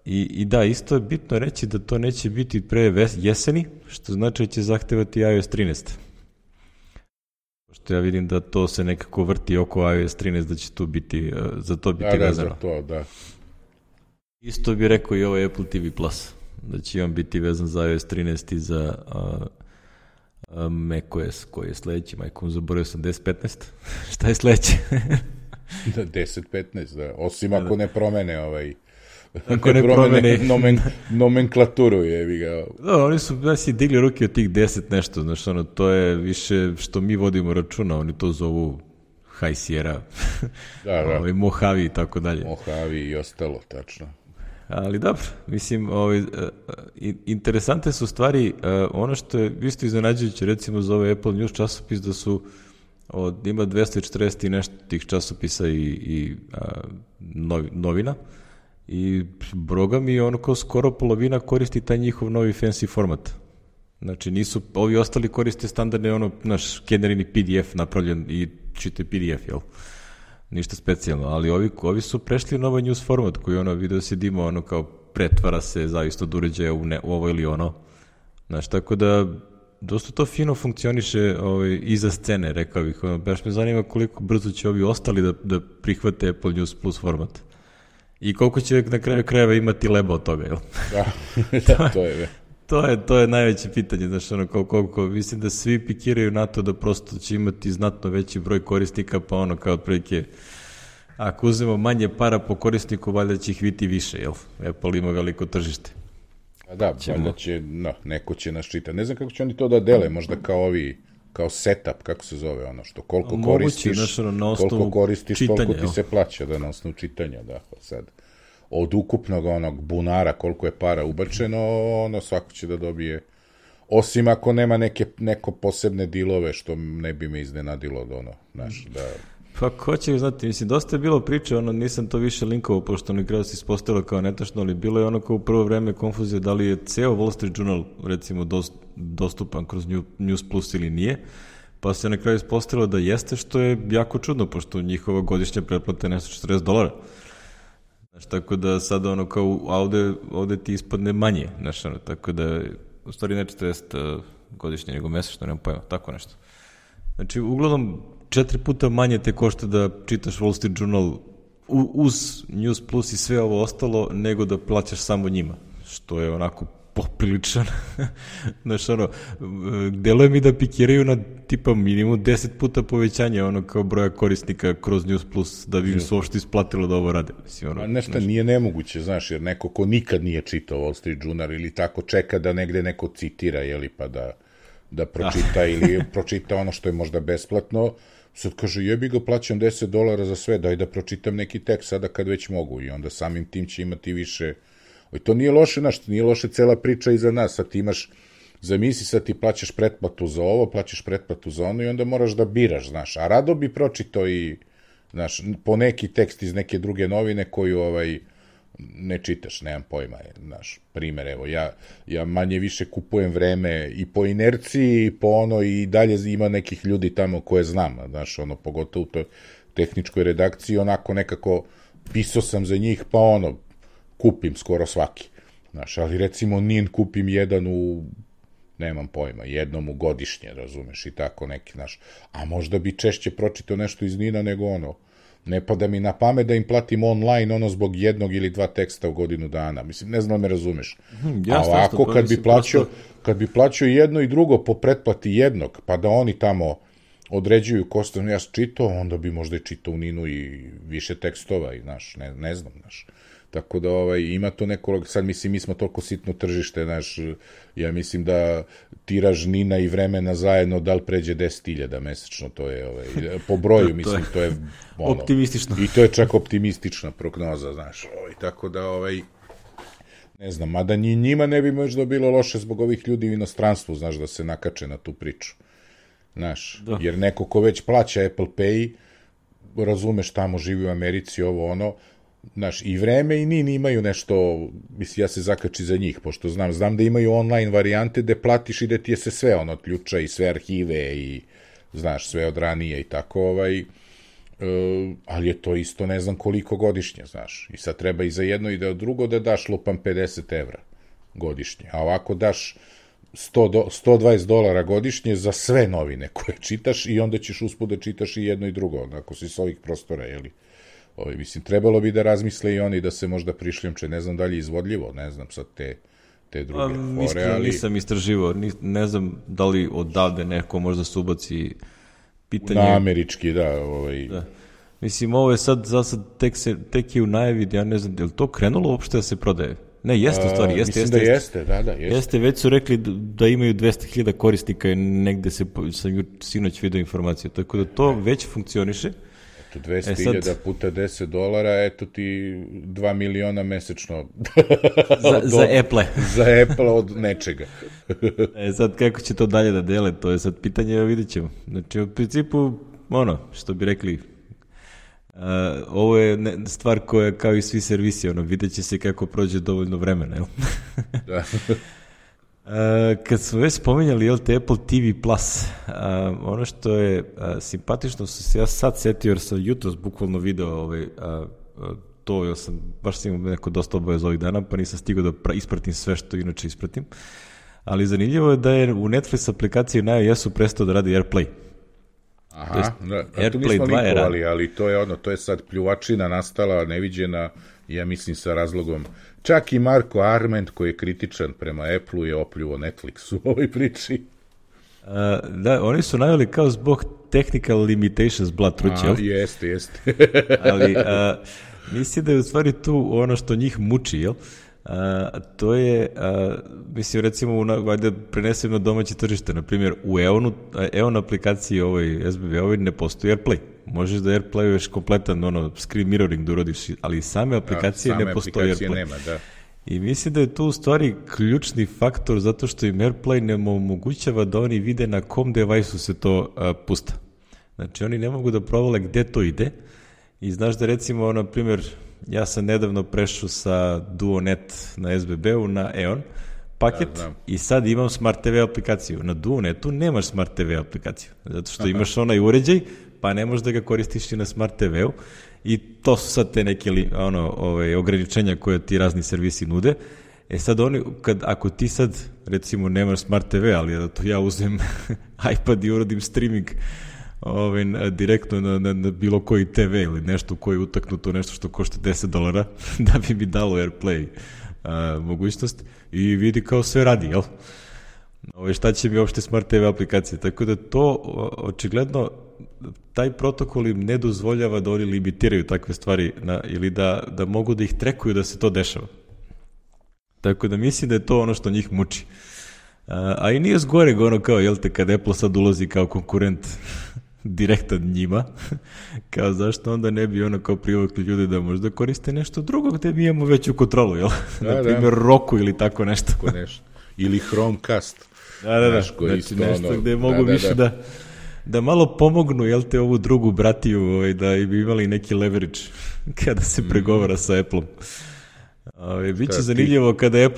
I da, isto je bitno reći da to neće biti pre jeseni, što znači da će zahtevati iOS 13. Pošto ja vidim da to se nekako vrti oko iOS 13, da će tu biti, za to biti vezano. Da, za to, da. Isto bi rekao i ovaj Apple TV Plus, da će on biti vezan za iOS 13 i za macOS, koji je sledeći, majkom, zaboravio sam 10.15. Šta je sledeće? Da, 10.15, da. Osim ako ne promene ako ne promene nomenklaturu, jebi ga. Da, oni su digli ruke od tih 10 nešto, znaš, ono, to je više što mi vodimo računa, oni to zovu High Sierra, Mojave i tako dalje. Mojave i ostalo, tačno. Ali dobro, mislim, interesante su stvari, ono što je isto iznenađujuće, recimo za ovaj Apple News časopis, da su ima 240 i nešto tih časopisa i novina, i broga mi ono kao skoro polovina koristi taj njihov novi fancy format. Znači nisu, ovi ostali koriste standardne ono, naš generirani PDF napravljen i čite PDF, jel? Ništa specijalno, ali ovi su prešli na ovaj news format koji ono video se dimo ono kao pretvara se zavisno od uređaja u ovo ili ono. Znači, tako da dosta to fino funkcioniše iza scene, rekao bih. Baš me zanima koliko brzo će ovi ostali da prihvate Apple News Plus format. I koliko će na kraju krajeva imati leba od toga, jel? Da, to je. To je najveće pitanje, znaš, ono, koliko, mislim da svi pikiraju na to da prosto će imati znatno veći broj korisnika, pa ono, kao otprilike, ako uzmemo manje para po korisniku, valjda će ih biti više, jel? Apple ima veliko tržište. A da, valjda će, neko će nas čitati. Ne znam kako će oni to da dele, možda kao setup, kako se zove ono, što koliko koristiš, znaš, ono, toliko ti se plaća, da, na osnovu čitanja, da, sad. Od ukupnog onog bunara koliko je para ubačeno, ono svako će da dobije, osim ako nema neko posebne dilove, što ne bi me iznenadilo od ono, znaš, da... Pa ko će znati, mislim, dosta je bilo priče, ono, nisam to više linkovao, pošto na kraju se ispostavilo kao netačno, ali bilo je ono kao u prvo vreme konfuzija da li je ceo Wall Street Journal, recimo, dostupan kroz News Plus ili nije, pa se na kraju ispostavilo da jeste, što je jako čudno, pošto njihova godišnja pretplata je nešto $40. Znaš, tako da sad ono kao ovde ti ispadne manje, znaš, ono, tako da u stvari ne 40 godišnje nego mesečno, nemam pojma, tako nešto. Znači, uglavnom 4 puta manje te košta da čitaš Wall Street Journal uz News Plus i sve ovo ostalo, nego da plaćaš samo njima, što je onako popriličan. Znaš, ono, deluje mi da pikiraju na tipa minimum 10 puta povećanje ono kao broja korisnika kroz News Plus da bi im se uopšte isplatilo da ovo rade. Mislim, ono, nešto nije nemoguće, znaš, jer neko ko nikad nije čitao Wall Street Journal ili tako čeka da negde neko citira, jeli, pa da pročita ili pročita ono što je možda besplatno, sad kaže, jebi ga, plaćam $10 za sve, daj da pročitam neki tekst sada kad već mogu, i onda samim tim će imati više. To nije loše, znaš, nije loše cela priča iza nas, sad ti imaš, zamisli sad ti plaćaš pretplatu za ovo, plaćaš pretplatu za ono i onda moraš da biraš, znaš, a rado bi pročitao i, znaš, po neki tekst iz neke druge novine koju ne čitaš, nemam pojma, znaš, primer, evo, ja manje više kupujem vreme i po inerciji i po ono, i dalje ima nekih ljudi tamo koje znam, znaš, ono, pogotovo u toj tehničkoj redakciji, onako nekako pisao sam za njih, pa ono, kupim skoro svaki, znaš, ali recimo NIN kupim jedan nemam pojma, jednom u godišnje, razumeš, i tako neki, znaš, a možda bi češće pročitao nešto iz NIN-a nego ono, ne pada mi na pamet da im platim online ono zbog jednog ili dva teksta u godinu dana, mislim, ne znam da me razumeš, a ovako kad bi plaćao jedno i drugo po pretplati jednog, pa da oni tamo određuju ko sam ja čitao, onda bi možda i čitao u NIN-u i više tekstova, i znaš, ne znam, znaš. Tako da ima to neko, sad mislim, mi smo toliko sitno tržište, znaš, ja mislim da tiraž Nina i Vremena zajedno da li pređe 10.000 mesečno, to je, po broju, mislim, to je optimistično. I to je čak optimistična prognoza, znaš, tako da, ne znam, mada njima ne bi možda bilo loše zbog ovih ljudi u inostranstvu, znaš, da se nakače na tu priču, znaš, jer neko ko već plaća Apple Pay, razumeš, tamo živi u Americi, znaš, i Vreme i Nin imaju nešto, mislim, ja se zakači za njih, pošto znam da imaju online varijante gde platiš i da ti je se sve ključa i sve arhive i, znaš, sve od ranije i tako, ali je to isto ne znam koliko godišnje, znaš, i sad treba i za jedno i da drugo da daš lupam 50 evra godišnje, a ovako daš $120 godišnje za sve novine koje čitaš i onda ćeš usput da čitaš i jedno i drugo, ako si s ovih prostora, jeli? Mislim, trebalo bi da razmisle i oni da se možda prišljamče, ne znam da li je izvodljivo, ne znam sad te druge fore, ali... Nisam istraživao, ne znam da li odavde neko možda se ubaci pitanje... Na američki, da. Mislim, ovo je sad, tek je u najavi, ja ne znam, je li to krenulo uopšte da se prodaje? Ne, jeste u stvari, jeste. Mislim da jeste, da. Jeste, već su rekli da imaju 200.000 korisnika i negde sam sinoć video informacije, tako da to već funkcioniše. 200.000 puta $10, eto ti 2 miliona mesečno. Za Apple. Za Apple od nečega. Sad kako će to dalje da dele, to je sad pitanje, vidit ćemo. Znači, u principu, što bi rekli, ovo je stvar koja, kao i svi servisi, vidjet će se kako prođe dovoljno vremena, jel? Da. Kad smo već spominjali, Apple TV Plus, ono što je simpatično, se ja sad setio, jer sam jutros bukvalno video to, jer baš sam imao neko dosta obaveza ovih dana, pa nisam stigao da ispratim sve što inače ispratim, ali zanimljivo je da je u Netflix aplikaciji na iOS-u prestao da radi AirPlay. Aha, a tu nismo likovali, ali to je sad pljuvačina nastala, neviđena, ja mislim sa razlogom. Čak i Marko Arment, koji je kritičan prema Apple-u, je opljuo Netflix u ovoj priči. Da, oni su najavili kao zbog technical limitations Blatruć, jel? Jeste. Ali mislim da je u stvari tu ono što njih muči, jel? To je, mislim, recimo, da prenesem na domaće tržište, na primjer, u EON aplikaciji SBB ne postoji AirPlay. Možeš da AirPlayuješ kompletan screen mirroring da urodiš, ali same aplikacije ne postoji AirPlay. Nema, da. I mislim da je tu u stvari ključni faktor zato što im AirPlay ne omogućava da oni vide na kom device-u se to pusta. Znači, oni ne mogu da provale gde to ide i znaš da recimo, na primjer, ja sam nedavno prešao sa DuoNet na SBB-u na EON paket i sad imam Smart TV aplikaciju. Na DuoNetu nemaš Smart TV aplikaciju, zato što imaš onaj uređaj, pa ne možeš da ga koristiš i na Smart TV-u i to su sad te neke ograničenja koje ti razni servisi nude. Sad ako ti sad recimo nemaš Smart TV, ali da to ja uzem iPad i urodim streaming direktno na bilo koji TV ili nešto koji je utaknuto, nešto što košta $10 da bi mi dalo AirPlay mogućnost i vidi kao sve radi, jel? Šta će mi uopšte Smart TV aplikacije, tako da to očigledno taj protokol im ne dozvoljava da oni limitiraju takve stvari ili da mogu da ih trekuju da se to dešava. Tako da mislim da je to ono što njih muči. A i nije zgoreg kao, jel te, kad Apple sad ulazi kao konkurent direktan njima, kao zašto onda ne bi kao privukli ljudi da možda koriste nešto drugo gde mi imamo veću kontrolu, jel? Na primjer Roku ili tako nešto. Ili Chromecast. Da. Znači nešto gde mogu više da malo pomognu, jel te, ovu drugu bratiju, da bi imali neki leverage kada se pregovara sa Apple-om. Biće zanimljivo kada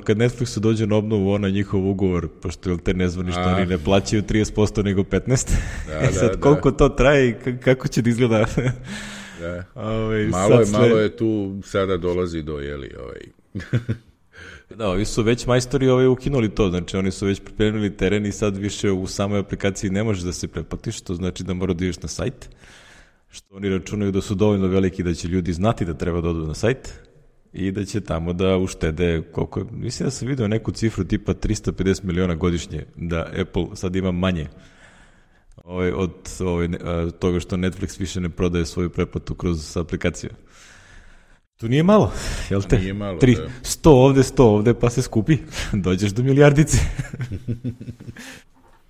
kad Netflixu dođe na obnovu njihov ugovor, pošto te nezvanično oni ne plaćaju 30% nego 15%. Sad koliko to traje i kako će da izgleda? Malo je tu, sada dolazi do, Da, ovi su već majstori ukinuli to, znači oni su već pripremili teren i sad više u samoj aplikaciji ne možeš da se pretplatiš, to znači da mora da ideš na sajt, što oni računaju da su dovoljno veliki da će ljudi znati da treba da odu na sajt i da će tamo da uštede koliko, mislim da sam vidio neku cifru tipa 350 miliona godišnje, da Apple sad ima manje od toga što Netflix više ne prodaje svoju pretplatu kroz aplikaciju. To nije malo, jel te? Nije malo, 100 ovde, pa se skupi. Dođeš do milijardice.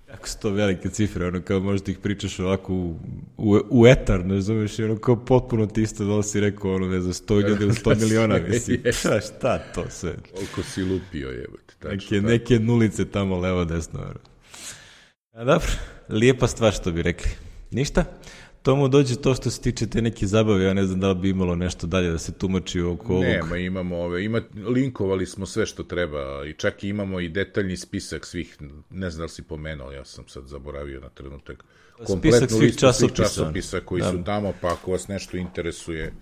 Kako su to velike cifre, ono kao možda ih pričaš ovako u etar, ne znameš, ono kao potpuno ti isto da li si rekao, ono ne znam, 100.000 ili 100 miliona, mislim, šta to sve? Koliko si lupio, jebate. Neke nulice tamo levo, desno. A dobro, lijepa stvar što bi rekli. Ništa? Tomu dođe to što se tiče te neke zabave, ja ne znam da li bi imalo nešto dalje da se tumači oko ovog. Nema, imamo linkovali smo sve što treba i čak imamo i detaljni spisak svih, ne znam da li si pomenuo, ja sam sad zaboravio na trenutak, kompletnu listu svih časopisa koji su tamo, pa ako vas nešto interesuje.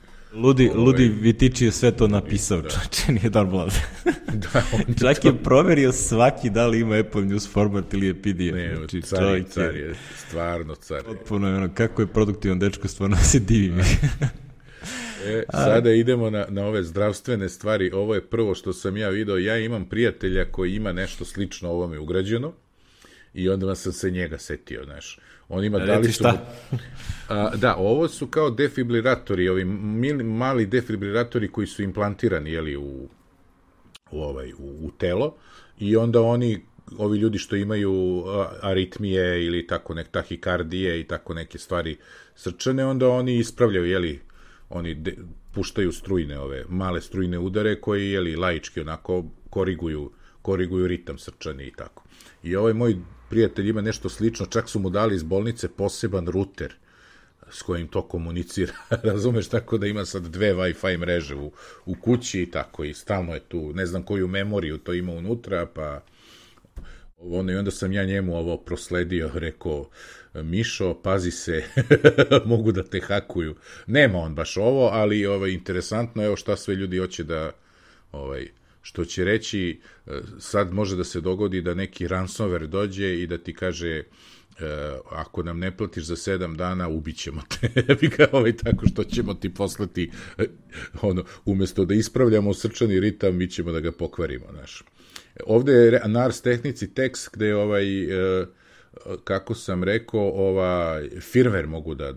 Ludi Vitić je sve to napisao, čače, nije normalno. Čak je proverio svaki da li ima Apple News format ili je PDF. Ne, znači, car je, stvarno car. Potpuno je ono, kako je produktivan dečko, stvarno se divim. Sada idemo na ove zdravstvene stvari. Ovo je prvo što sam ja video. Ja imam prijatelja koji ima nešto slično ovome ugrađeno i onda sam se njega setio, znaš. On ima, da, ovo su kao defibrilatori, ovi mali defibrilatori koji su implantirani, jeli, u telo i onda ovi ljudi što imaju aritmije ili tako tahikardije i tako neke stvari srčane, onda oni ispravljaju, jeli, oni puštaju strujne, ove male strujne udare koji, jeli, laički onako koriguju ritam srčani i tako. I ovaj moj prijatelj ima nešto slično, čak su mu dali iz bolnice poseban ruter s kojim to komunicira, razumeš, tako da ima sad 2 Wi-Fi mreže u kući i tako, i stalno je tu, ne znam koju memoriju to ima unutra, pa i onda sam ja njemu ovo prosledio, rekao, Mišo, pazi se, mogu da te hakuju. Nema on baš ovo, ali interesantno, evo šta sve ljudi hoće da, što će reći, sad može da se dogodi da neki ransomware dođe i da ti kaže, ako nam ne platiš za 7 dana, ubićemo te. Tako što ćemo ti poslati, umjesto da ispravljamo srčani ritam, mi ćemo da ga pokvarimo, znaš. Ovde je na Ars Technici tekst gde kako sam rekao, firmware mogu da,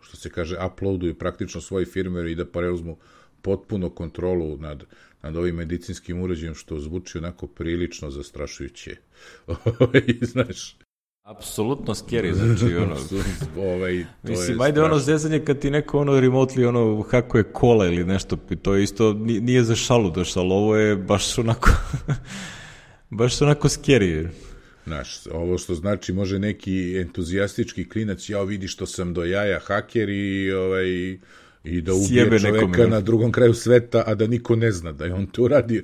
što se kaže, uploaduju praktično svoj firmware i da preuzmu potpuno kontrolu nad ovim medicinskim uređajem, što zvuči onako prilično zastrašujuće. Znaš. Apsolutno scary, znači mislim, ajde zezanje kad ti neko remotely hakuje kola ili nešto, to je isto, nije za šalu došlo, ali ovo je baš onako scary. Znaš, ovo što znači može neki entuzijastički klinac, ja vidi što sam do jaja haker i da ubije čoveka na drugom kraju sveta, a da niko ne zna da je on to uradio.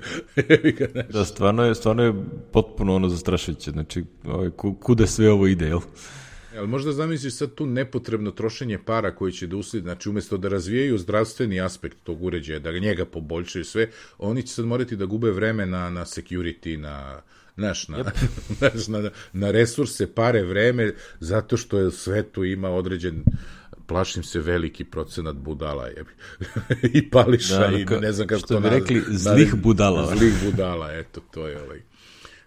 Da, stvarno je potpuno zastrašujuće, znači kuda sve ovo ide, jel? Ali možda zamisliš sad tu nepotrebno trošenje para koji će da usledi, znači umjesto da razvijaju zdravstveni aspekt tog uređaja, da njega poboljšaju sve, oni će sad morati da gube vreme na security, na resurse, pare, vreme, zato što je u svetu ima određen, plašim se, veliki procenat budala i pališa i ne znam kako to što bi rekli, zlih budala. Zlih budala, eto, to je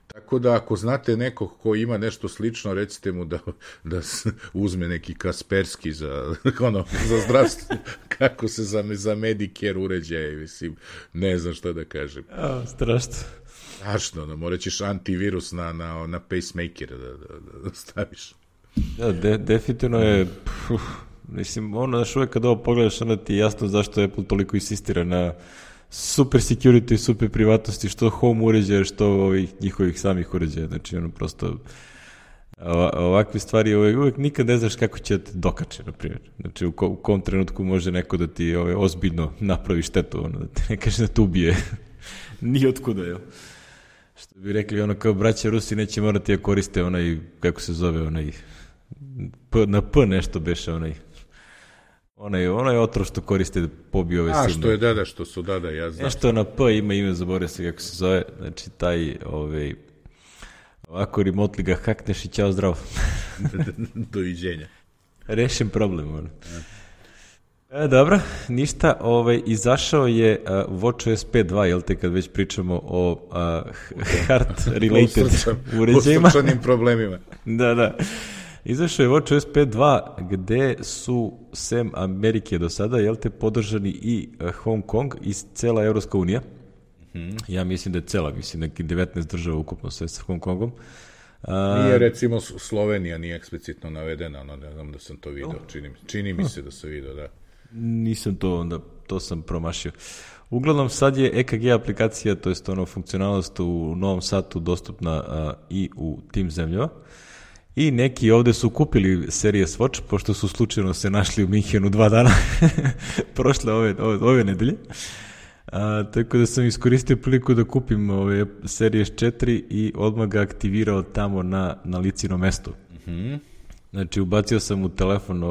Tako da, ako znate nekog ko ima nešto slično, recite mu da uzme neki Kaspersky za zdravstvo, kako se za Medicare uređaje, mislim, ne znam šta da kažem. Strašno. Strašno, morat ćeš antivirus na pacemaker da staviš. Da, definitivno je, mislim, znaš, uvek kad ovo pogledaš, onda ti je jasno zašto Apple toliko insistira na super security, super privatnosti, što home uređaja, što ovih njihovih samih uređaja, znači prosto ovakve stvari uvek nikad ne znaš kako će te dokače, na primjer. Znači u kom trenutku može neko da ti ozbiljno napravi štetu, da te ne kaže da te ubije. Nije otkuda, jel? Što bi rekli, kao braća Rusi neće morati da koriste kako se zove, na P nešto beše, onaj otrov što koriste da pobije ove silne. Što je dada, što su dada, ja znam. Nešto na P ima ime, zaboravio se kako se zove, znači taj, ovako remotely ga hakneš i ćao zdravo. Doviđenja. Rešen problem, dobro, ništa, izašao je WatchOS 5.2, jel te, kad već pričamo o heart-related uređajima. U srčanim problemima. Da. Izašao je WatchOS 5.2 gde su sem Amerike do sada, jel te, podržani i Hong Kong i cela Evropska unija. Ja mislim da je cela, mislim neki 19 država ukupno sve sa Hong Kongom. Nije recimo Slovenija nije eksplicitno navedena, ne znam da sam to vidio, čini mi se da sam vidio, da. Nisam to, onda to sam promašio. Uglavnom sad je EKG aplikacija, to jest funkcionalnost u Novom Satu dostupna i u tim zemljama. I neki ovde su kupili Series Watch, pošto su slučajno se našli u Minhenu 2 dana prošle ove nedelje. Tako da sam iskoristio priliku da kupim ove Series 4 i odmah ga aktivirao tamo na licino mesto. Znači, ubacio sam u telefon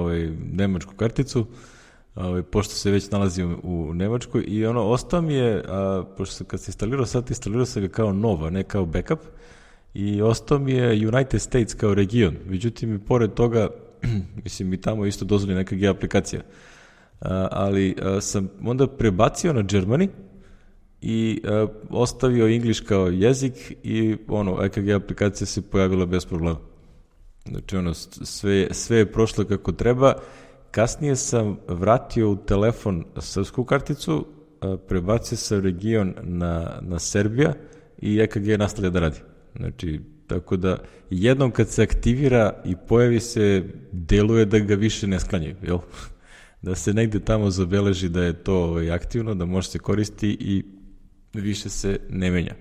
nemačku karticu, pošto se već nalazim u Nemačkoj, i ostao mi je, pošto kad se instalirao sam ga kao nova, ne kao backup, i ostao mi je United States kao region. Međutim, i pored toga, mislim, i tamo isto dozvoli neka G aplikacija. Ali sam onda prebacio na Germany i ostavio English kao jezik i EKG aplikacija se pojavila bez problema. Znači, sve je prošlo kako treba. Kasnije sam vratio u telefon srpsku karticu, prebacio sam region na Serbija i EKG nastavlja da radi. Znači, tako da jednom kad se aktivira i pojavi se, deluje da ga više ne sklanjaju, jel? Da se negde tamo zabeleži da je to aktivno, da može se koristi i više se ne menja.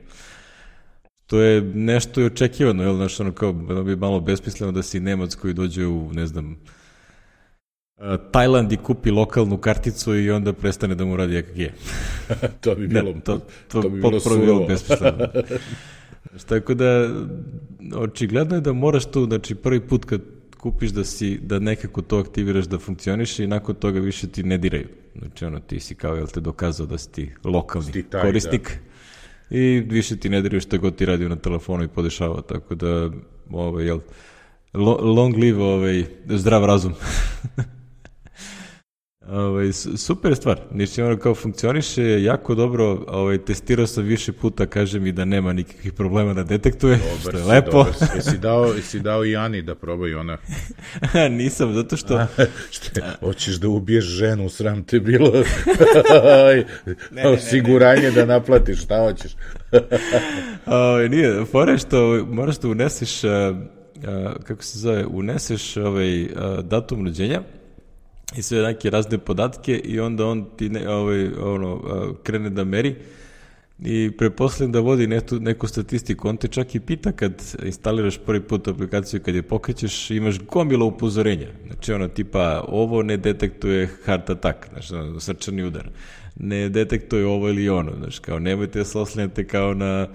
To je nešto i očekivano, jel? Znaš, kao bi malo besmisleno da si Nemac koji dođe u, ne znam, Tajland i kupi lokalnu karticu i onda prestane da mu radi EKG. To bi bilo, to bi bilo besmisleno. Tako da, očigledno je da moraš tu, znači prvi put kad kupiš da nekako to aktiviraš da funkcioniše i nakon toga više ti ne diraju. Znači ti si kao, jel te dokazao da si ti lokalni korisnik i više ti ne diraju što god ti radio na telefonu i podešava, tako da long live zdrav razum. Super stvar, ništa kao funkcioniše jako dobro, testirao sam više puta, kaže mi da nema nikakvih problema da detektuje, što je lepo. Jesi dao i Ani da probaju ona? Nisam, zato što... Hoćeš da ubiješ ženu, sram te bilo, osiguranje da naplatiš, šta hoćeš? Nije, fora je što moraš da uneseš, kako se zove, uneseš datum rođenja i sve neke razne podatke i onda on ti krene da meri i pretpostavljam da vodi neku statistiku. On te čak i pita kad instaliraš prvi put aplikaciju, kad je pokrećeš, imaš gomilo upozorenja. Znači tipa ovo ne detektuje heart attack, znači srčani udar, ne detektuje ovo ili ono, znači kao nemojte da se oslanjate kao na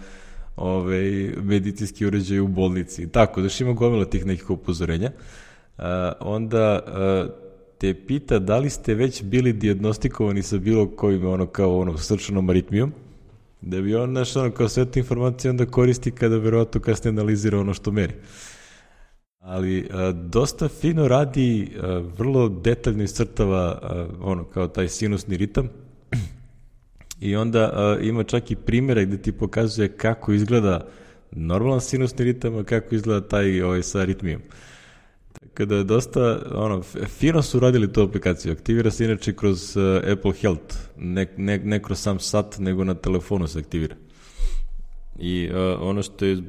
medicinski uređaj u bolnici. Tako, znači ima gomilo tih nekih upozorenja. Onda te pita da li ste već bili dijagnostikovani sa bilo kojim srčanom aritmijom, da bi on kao sve te informacije onda koristi kada verovatno kasnije analizira ono što meri. Ali dosta fino radi, vrlo detaljno iscrtava kao taj sinusni ritam i onda ima čak i primjere gde ti pokazuje kako izgleda normalan sinusni ritam, a kako izgleda taj sa aritmijom. Kada je dosta, fino su radili tu aplikaciju. Aktivira se inače kroz Apple Health, ne kroz sam sat, nego na telefonu se aktivira. I ono što je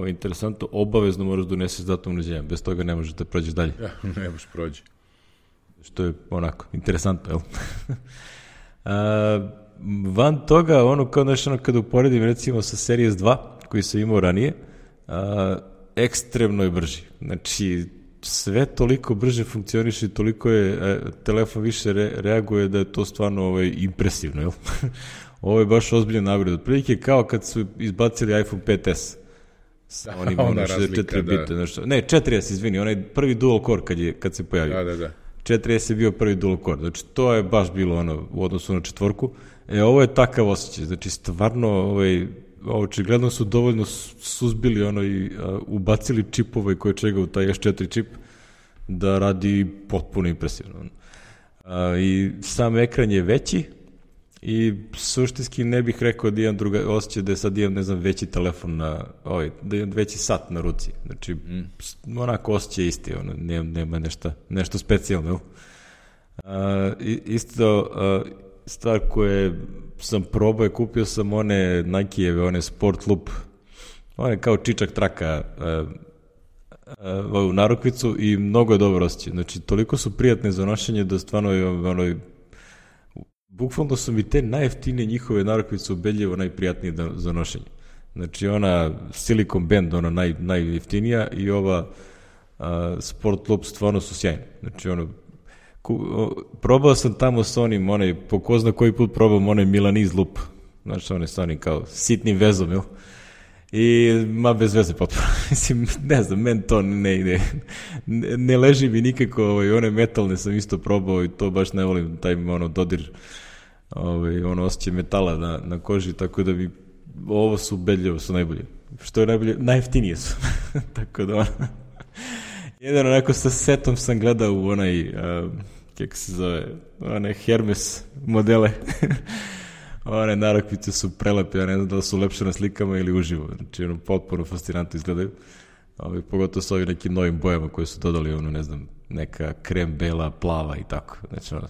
interesantno, obavezno moraš da uneseš datum rođenja, bez toga ne možeš da prođeš dalje. Ja, ne možeš prođi. Što je onako, interesantno, jel? Van toga, kada uporedim recimo sa Series 2, koji sam imao ranije, ekstremno je brži. Znači, sve toliko brže funkcioniše i toliko je telefon više reaguje da je to stvarno impresivno, jel? Ovo je baš ozbiljan napred. Otprilike kao kad su izbacili iPhone 5S. Onim 64 bite. Ne, 4S, izvini, onaj prvi dual core kad se pojavio. Da. 4S je bio prvi dual core. Znači, to je baš bilo u odnosu na četvorku. Ovo je takav osjećaj. Znači, stvarno, očigledno su dovoljno suzbili i ubacili čipove koje čega u taj S4 čip da radi potpuno impresivno. I sam ekran je veći, I suštinski ne bih rekao da imam osjećaj da je sad imam, ne znam, veći telefon da imam veći sat na ruci. Znači, onako osjećaj isti, nema nešto specijalno. Isto, stvar koje sam probao, kupio sam one Nike-eve, one Sport Loop, one kao čičak traka u narukvicu i mnogo je dobro osjećaj. Znači, toliko su prijatne za nošenje da stvarno bukvalno su mi te najjeftinije njihove narukvice ubedljivo najprijatnije za nošenje. Znači, ona Silicon Band, ona najjeftinija i ova Sport Loop stvarno su sjajne. Znači, probao sam tamo s onim, po ko zna koji put probam onaj Milanese Loop. Znači, one s onim kao sitnim vezom, jel? I, bez veze potpuno. Mislim, ne znam, meni to ne ide. Ne leži mi nikako, one metalne sam isto probao i to baš ne volim, taj dodir, osjećaj metala na koži, tako da bi, ovo su ubedljivo, su najbolje. Što je najbolje, najjeftinije su. Tako da, jedan onako sa setom sam gledao u kako se zove, one Hermes modele. One narukvice su prelepe, ja ne znam da li su lepše na slikama ili uživo. Znači, potpuno fascinantno izgledaju. Pogotovo s ovim nekim novim bojama koje su dodali, ne znam, neka krem, bela, plava i tako. Znači,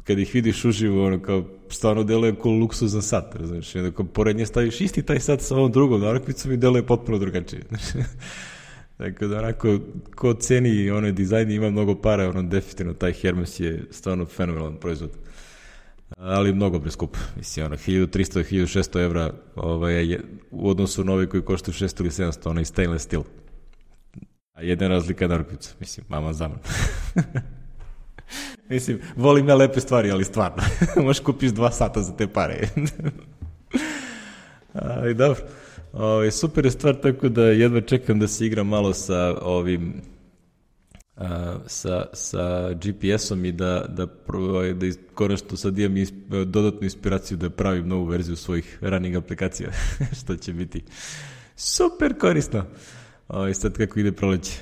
kad ih vidiš uživo, kao stvarno deluje kao luksuzan sat, razumiješ? Ako pored nje staviš isti taj sat sa ovom drugom narukvicom i deluje potpuno drugačije. Tako da, onako, ko ceni onaj dizajn i ima mnogo para, definitivno taj Hermes je stvarno fenomenalan proizvod. Ali mnogo preskup. Mislim, 1300-1600 evra u odnosu na ovi koji koštaju 600 ili 700, onaj stainless steel. A jedna razlika je narukvica. Mislim, mama zaman. Mislim, volim ja lepe stvari, ali stvarno. Možeš kupiš 2 sata za te pare. Ali dobro. Super je stvar, tako da jedva čekam da se igram malo sa ovim sa GPS-om i da konačno sad imam dodatnu inspiraciju da pravim novu verziju svojih running aplikacija, što će biti super korisno. Sad kako ide proleće.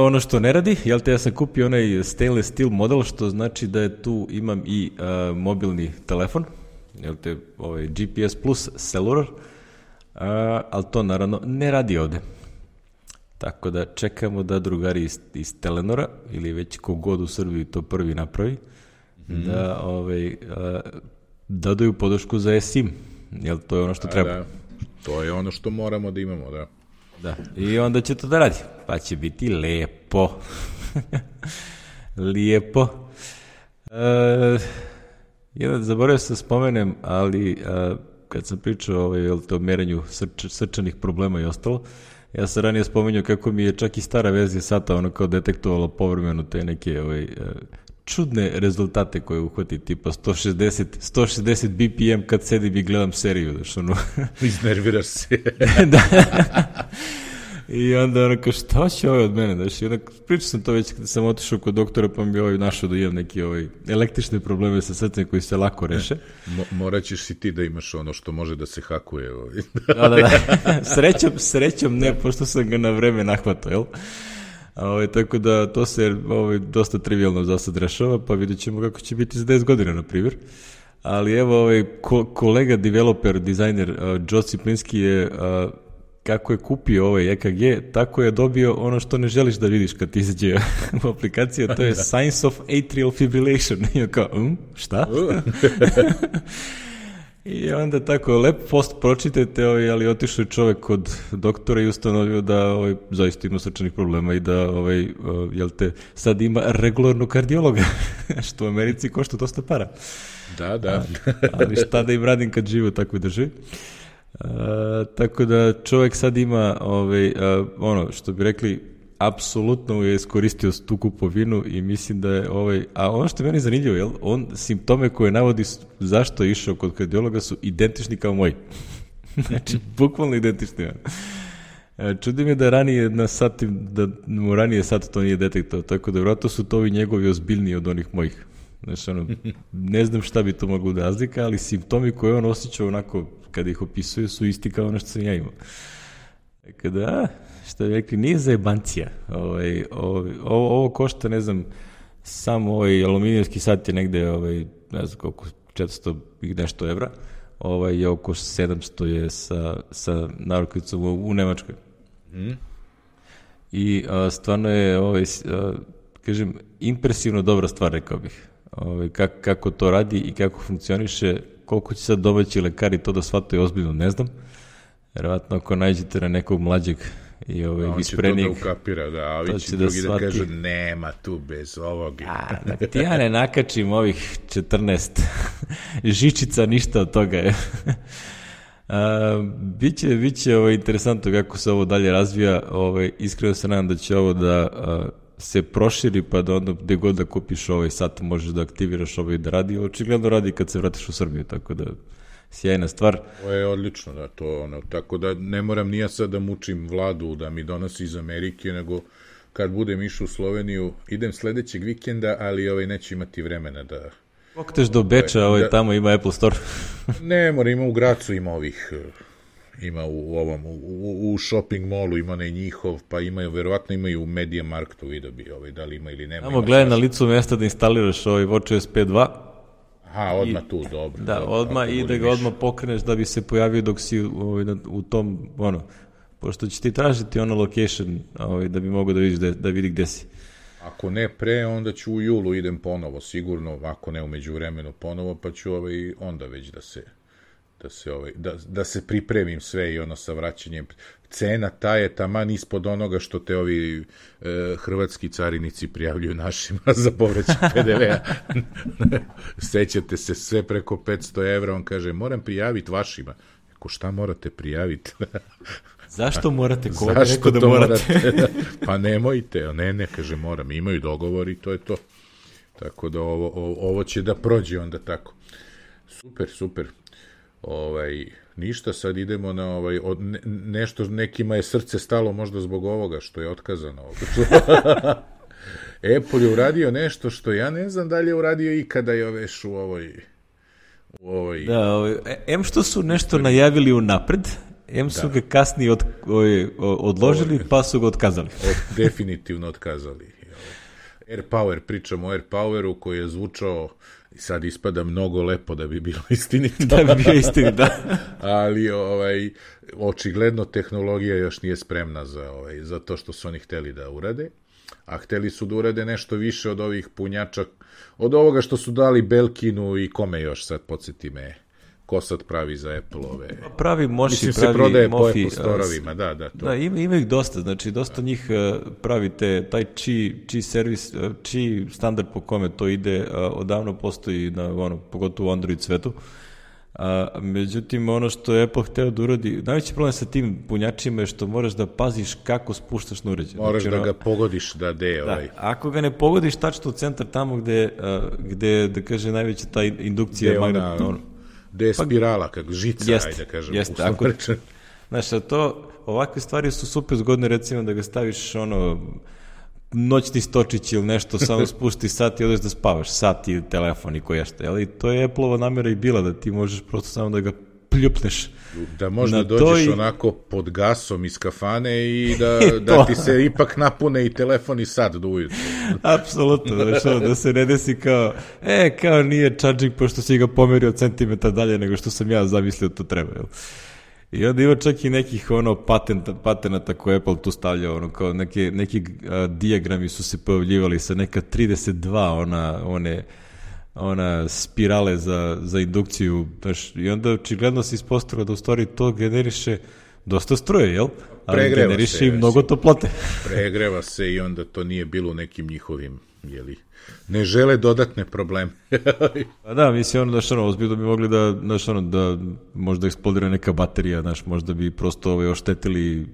Ono što ne radi, ja sam kupio onaj stainless steel model, što znači da je tu imam i mobilni telefon, GPS plus cellular, ali to naravno ne radi ovde. Tako da čekamo da drugari iz Telenora, ili već kogod u Srbiji to prvi napravi, da dodaju podršku za eSIM. Jel, to je ono što treba. Da. To je ono što moramo da imamo, da. Da, i onda će to da radi. Pa će biti lepo. Lijepo. Zaboravio sam spomenem, ali kad sam pričao o merenju srčanih problema i ostalo, ja sam ranije spominjao kako mi je čak i stara verzija sata kao detektovala povremeno te neke čudne rezultate koje uhvati, tipa 160 BPM kad sedim i gledam seriju. Iznerviraš se. Da. I onda šta će od mene? Pričao sam to već kada sam otišao kod doktora, pa mi je našao da imam neki električne probleme sa srcem koji se lako reše. Morat ćeš si ti da imaš ono što može da se hakuje. Da. Srećom ne, pošto sam ga na vreme nahvatao, jel? Tako da to se dosta trivialno za sad rešava, pa vidjet ćemo kako će biti za 10 godina, na primjer. Ali evo, kolega developer, dizajner Joe Ciplinski je kako je kupio ovaj EKG, tako je dobio ono što ne želiš da vidiš kad ti izađe u aplikaciju, to je Signs of Atrial Fibrillation. I kao, šta? I onda tako, lep post pročitajte, ali otišao je čovek kod doktora i ustanovio da zaista ima srčanih problema i da sad ima regularnog kardiologa, što u Americi košta dosta para. Da. Ali šta da im radim kad žive u takvoj državi? Tako da čovjek sad ima ono što bi rekli, apsolutno je iskoristio tu kupovinu i mislim da je a ono što je meni zanimljivo, on simptome koje navodi zašto je išao kod kardiologa su identični kao moji. Znači, bukvalno identični. Čudi me da ranije mu ranije sad to nije detektao, tako da vjerojatno su to ovi njegovi ozbiljniji od onih mojih. Znači, ne znam šta bi to moglo da razlika, ali simptomi koje on osjećao onako kada ih opisuje su isti kao ono što sam ja imao. Kada, što bi rekli, nije zajebancija. Ovo košta, ne znam, samo aluminijski sat je negde, ne znam koliko, 400 i nešto evra, je oko 700 je sa narukvicom u Nemačkoj. I stvarno je, kažem, impresivno dobra stvar, rekao bih. Kako to radi i kako funkcioniše, koliko će sad domaći lekari to da shvataju ozbiljno, ne znam. Verovatno ako nađete na nekog mlađeg i isprenijeg, on će to da ukapira, da, a ovi će drugi da kaže, nema tu bez ovog. Ti ja ne nakačim ovih 14 žičica, ništa od toga je. Biće interesantno kako se ovo dalje razvija. Iskreno se nadam da će ovo da se proširi, pa da onda gde god da kupiš ovaj sat možeš da aktiviraš da radi. Očigledno radi kad se vratiš u Srbiju, tako da sjajna stvar. To je odlično, da, tako da ne moram ni ja sad da mučim vladu da mi donosi iz Amerike, nego kad budem išao u Sloveniju, idem sledećeg vikenda, ali neću imati vremena da... Pokreteš do Beča, tamo ima Apple Store. Ne mora, ima u Gracu, ima u shopping mallu, ima onaj njihov, pa verovatno imaju u Media Marktu, vidio bi da li ima ili nema. Samo gledaj na licu mesta da instaliraš WatchOS 5.2. Aha, odmah tu, dobro. Da, odmah i da ga odmah pokreneš da bi se pojavio dok si u tom, pošto će ti tražiti location da bi mogao da vidi gde si. Ako ne pre, onda ću u julu idem ponovo, sigurno, ako ne u međuvremenu ponovo, pa ću onda već da se pripremim sve i sa vraćanjem. Cena ta je taman ispod onoga što te ovi hrvatski carinici prijavljuju našima za povraćaj PDV-a. Sećate se, sve preko 500 evra, on kaže, moram prijaviti vašima. Ako šta morate prijaviti? Zašto morate? Ko je rekao da morate? Pa nemojte, ne, kaže, moram. Imaju dogovor i to je to. Tako da ovo će da prođe onda tako. Super. Ništa, sad idemo na nešto, nekima je srce stalo možda zbog ovoga što je otkazano. Apple je uradio nešto što ja ne znam da li je uradio ikada još u ovoj... Da, što su nešto najavili unapred, su ga kasnije odložili, pa su ga otkazali. Definitivno otkazali. AirPower, pričamo o AirPoweru koji je zvučao, sad ispada mnogo lepo da bi bilo istinito. Da bi bio istinito, da. Ali očigledno tehnologija još nije spremna za to što su oni hteli da urade, a hteli su da urade nešto više od ovih punjača, od ovoga što su dali Belkinu i kome još, sad podsjeti me, ko sad pravi za Apple-ove. Pravi Moši, mislim, pravi se prodaje Mofi, po Apple Storovima, da. To. Da, ima ih dosta, znači dosta njih pravite, taj Qi servis, Qi standard po kome to ide, odavno postoji, pogotovo u Android svetu. Međutim, ono što je Apple hteo da uradi, najveći problem sa tim punjačima je što moraš da paziš kako spuštaš na uređaj. Moraš da ga pogodiš da ako ga ne pogodiš tačno u centar tamo gde da kaže najveća ta indukcija magnetna, gde je spirala, kako žica, ajde kažem. Jeste, znaš, ovakve stvari su super zgodne, recimo da ga staviš noćni stočić ili nešto, samo spušti sat i odeš da spavaš, sat i telefon i koje što, ali to je Apple-ova namera i bila, da ti možeš prosto samo da ga pljupneš. Da možda dođeš onako pod gasom iz kafane i da ti se ipak napune i telefon i sat do ujutru. Apsolutno, da se ne desi kao nije charging pošto si ga pomerio centimetar dalje nego što sam ja zamislio to treba, jel? I onda ima čak i nekih patenata koje Apple tu stavljao, kao neki dijagrami su se pojavljivali sa neka 32, ona spirale za indukciju, znaš, i onda očigledno se ispostavilo da u stvari to generiše dosta struje, jel? Ali generiše i mnogo toplote. Pregreva se i onda to nije bilo nekim njihovim, ne žele dodatne probleme. Pa da, mislim, ozbiljno bi mogli da možda eksplodira neka baterija, možda bi prosto oštetili,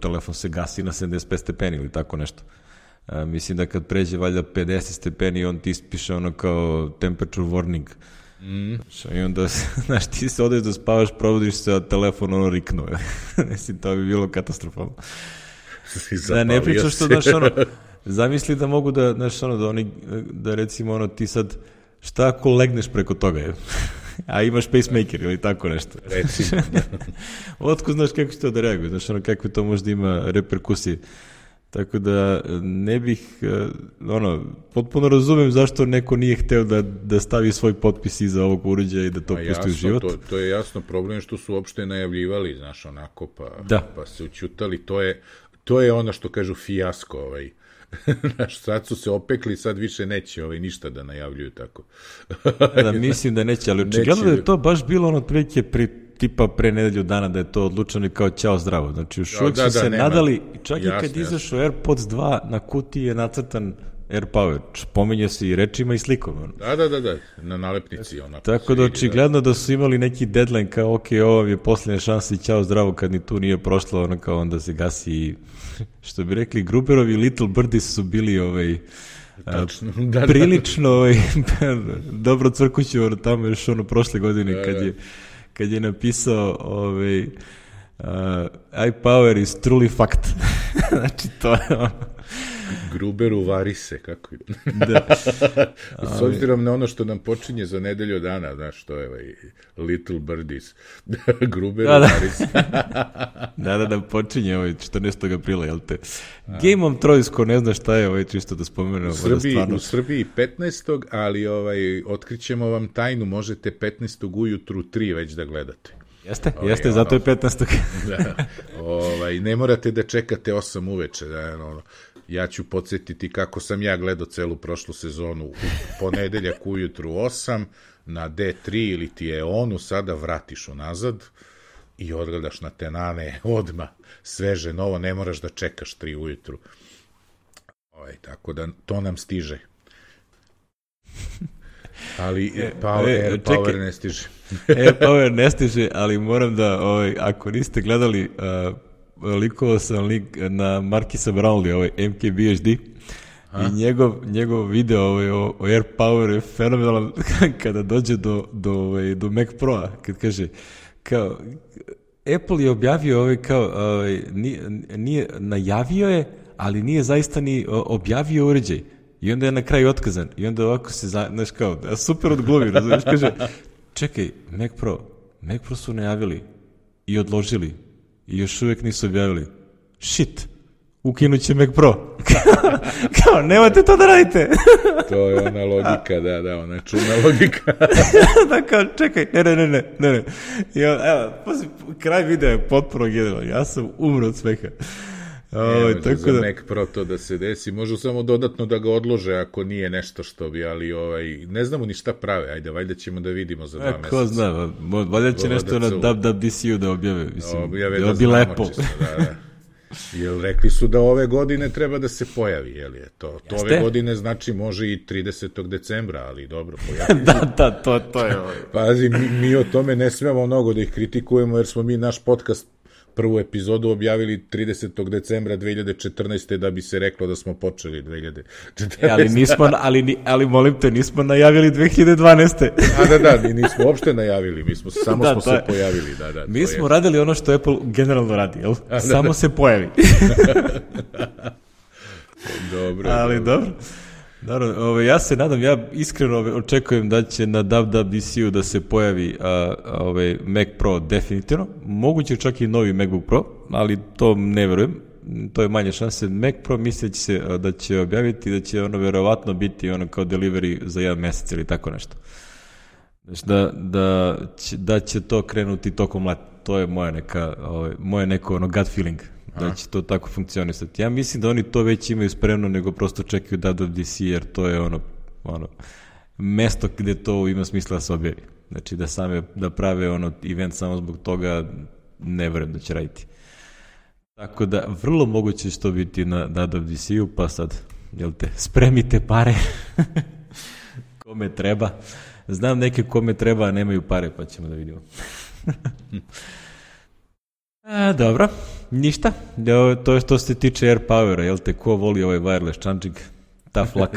telefon se gasi na 75 stepeni ili tako nešto. Mislim da kad pređe valjda 50 stepeni, on ti ispiše kao temperature warning. I onda, ti se odeš da spavaš, provodiš se, a telefon riknu. Mislim, to bi bilo katastrofalno. Da ne pričaš što, zamisli da mogu da recimo ti sad, šta ako legneš preko toga, a imaš pacemaker ili tako nešto. Recimo. Otko znaš kako će to da reaguje, kakve to možda ima reperkusije. Tako da ne bih, potpuno razumem zašto neko nije hteo da stavi svoj potpis iza ovog uređaja i da to pusti u život. To je jasno, problem što su uopšte najavljivali, znaš, onako, pa se učutali, to je ono što kažu fijasko, znaš, sad su se opekli, sad više neće ništa da najavljuju tako. Da, mislim da neće, ali očigledno da je to baš bilo otprilike tipa pre nedelju dana da je to odlučeno i kao ćao zdravo. Znači, još uvijek su se nadali, čak i kad izašao AirPods 2, na kutiji je nacrtan AirPower. Pominje se i rečima i slikom. Da, na nalepnici. Tako da očigledno da su imali neki deadline kao, ok, ovo je posljednja šansa i ćao zdravo, kad ni tu nije prošlo, kao onda se gasi i, što bi rekli, Gruberovi Little Birdies su bili prilično dobro crkuću tamo još prošle godine kad je napisao iPower is truly fact. Znači, to je Gruberu vari se, kako je. Da. S obzirom na ono što nam počinje za nedelju dana, znaš, to je Little Birdies. Gruberu vari se. Da, počinje 14. aprila, jel te? Game of Thrones, ko ne zna šta je, čisto da spomenem. U Srbiji 15. ali otkrićemo vam tajnu, možete 15. ujutru 3 već da gledate. Jeste, zato je 15. Ne morate da čekate 8 uveče, ja ću podsjetiti kako sam ja gledao celu prošlu sezonu u ponedeljak ujutru 8, na D3 ili ti je onu, sada vratiš unazad i odgledaš na tenane odmah, sveže, novo, ne moraš da čekaš 3 ujutru. Tako da to nam stiže. Ali Power ne stiže. Power ne stiže, ali moram da, ako niste gledali, likovao sam link na Markisa Brownlee, MKBHD, i njegov video o AirPower je fenomenalan kada dođe do Mac Pro-a, kad kaže, kao, Apple je objavio nije najavio je, ali nije zaista ni objavio uređaj. I onda je na kraju otkazan. I onda ovako se, znaš kao, super odglumi, razumiješ, kaže, čekaj, Mac Pro su najavili i odložili i još uvijek nisu objavili. Shit, ukinut će Mac Pro. Kao, nemojte to da radite. To je ona logika, ona čudna logika. Da, kao, čekaj, ne. Evo, kraj videa je potpuno genijalan. Ja sam umro od smeha. Za Mac Pro to da se desi, možu samo dodatno da ga odlože ako nije nešto što bi, ali ne znamo ni šta prave, ajde, valjda ćemo da vidimo za 2 meseca. Ko zna, valjda će nešto na WWDC-u da objave, da bi lepo. Jer rekli su da ove godine treba da se pojavi, jel je to? To ove godine znači može i 30. decembra, ali dobro, pojavi. Da, to je ovo. Pazi, mi o tome ne smemo mnogo da ih kritikujemo, jer smo mi naš podcast prvu epizodu objavili 30. decembra 2014. da bi se reklo da smo počeli 2014. Ali molim te, nismo najavili 2012. Da, mi nismo uopšte najavili, samo smo se pojavili. Mi smo radili ono što Apple generalno radi, jel? Samo se pojavi. Dobro. Ali dobro. Naravno, ja se nadam, ja iskreno očekujem da će na WWDC-u da se pojavi Mac Pro definitivno, moguće čak i novi MacBook Pro, ali to ne verujem, to je manje šanse. Mac Pro misli da će objaviti, da će ono verovatno biti kao delivery za 1 mesec ili tako nešto. Znači da će to krenuti tokom leta, to je moje neko gut feeling. Da će to tako funkcionisati. Ja mislim da oni to već imaju spremno, nego prosto čekaju WWDC, jer to je ono mesto gde to ima smisla da se objavi. Znači da prave event samo zbog toga, ne verujem da će raditi. Tako da vrlo moguće će to biti na WWDC-u, pa sad, jel te, spremite pare kome treba. Znam neke kome treba, a nemaju pare, pa ćemo da vidimo. Dobro, ništa. To je što se tiče AirPowera, jel te, ko voli ovaj wireless charging? Tough luck.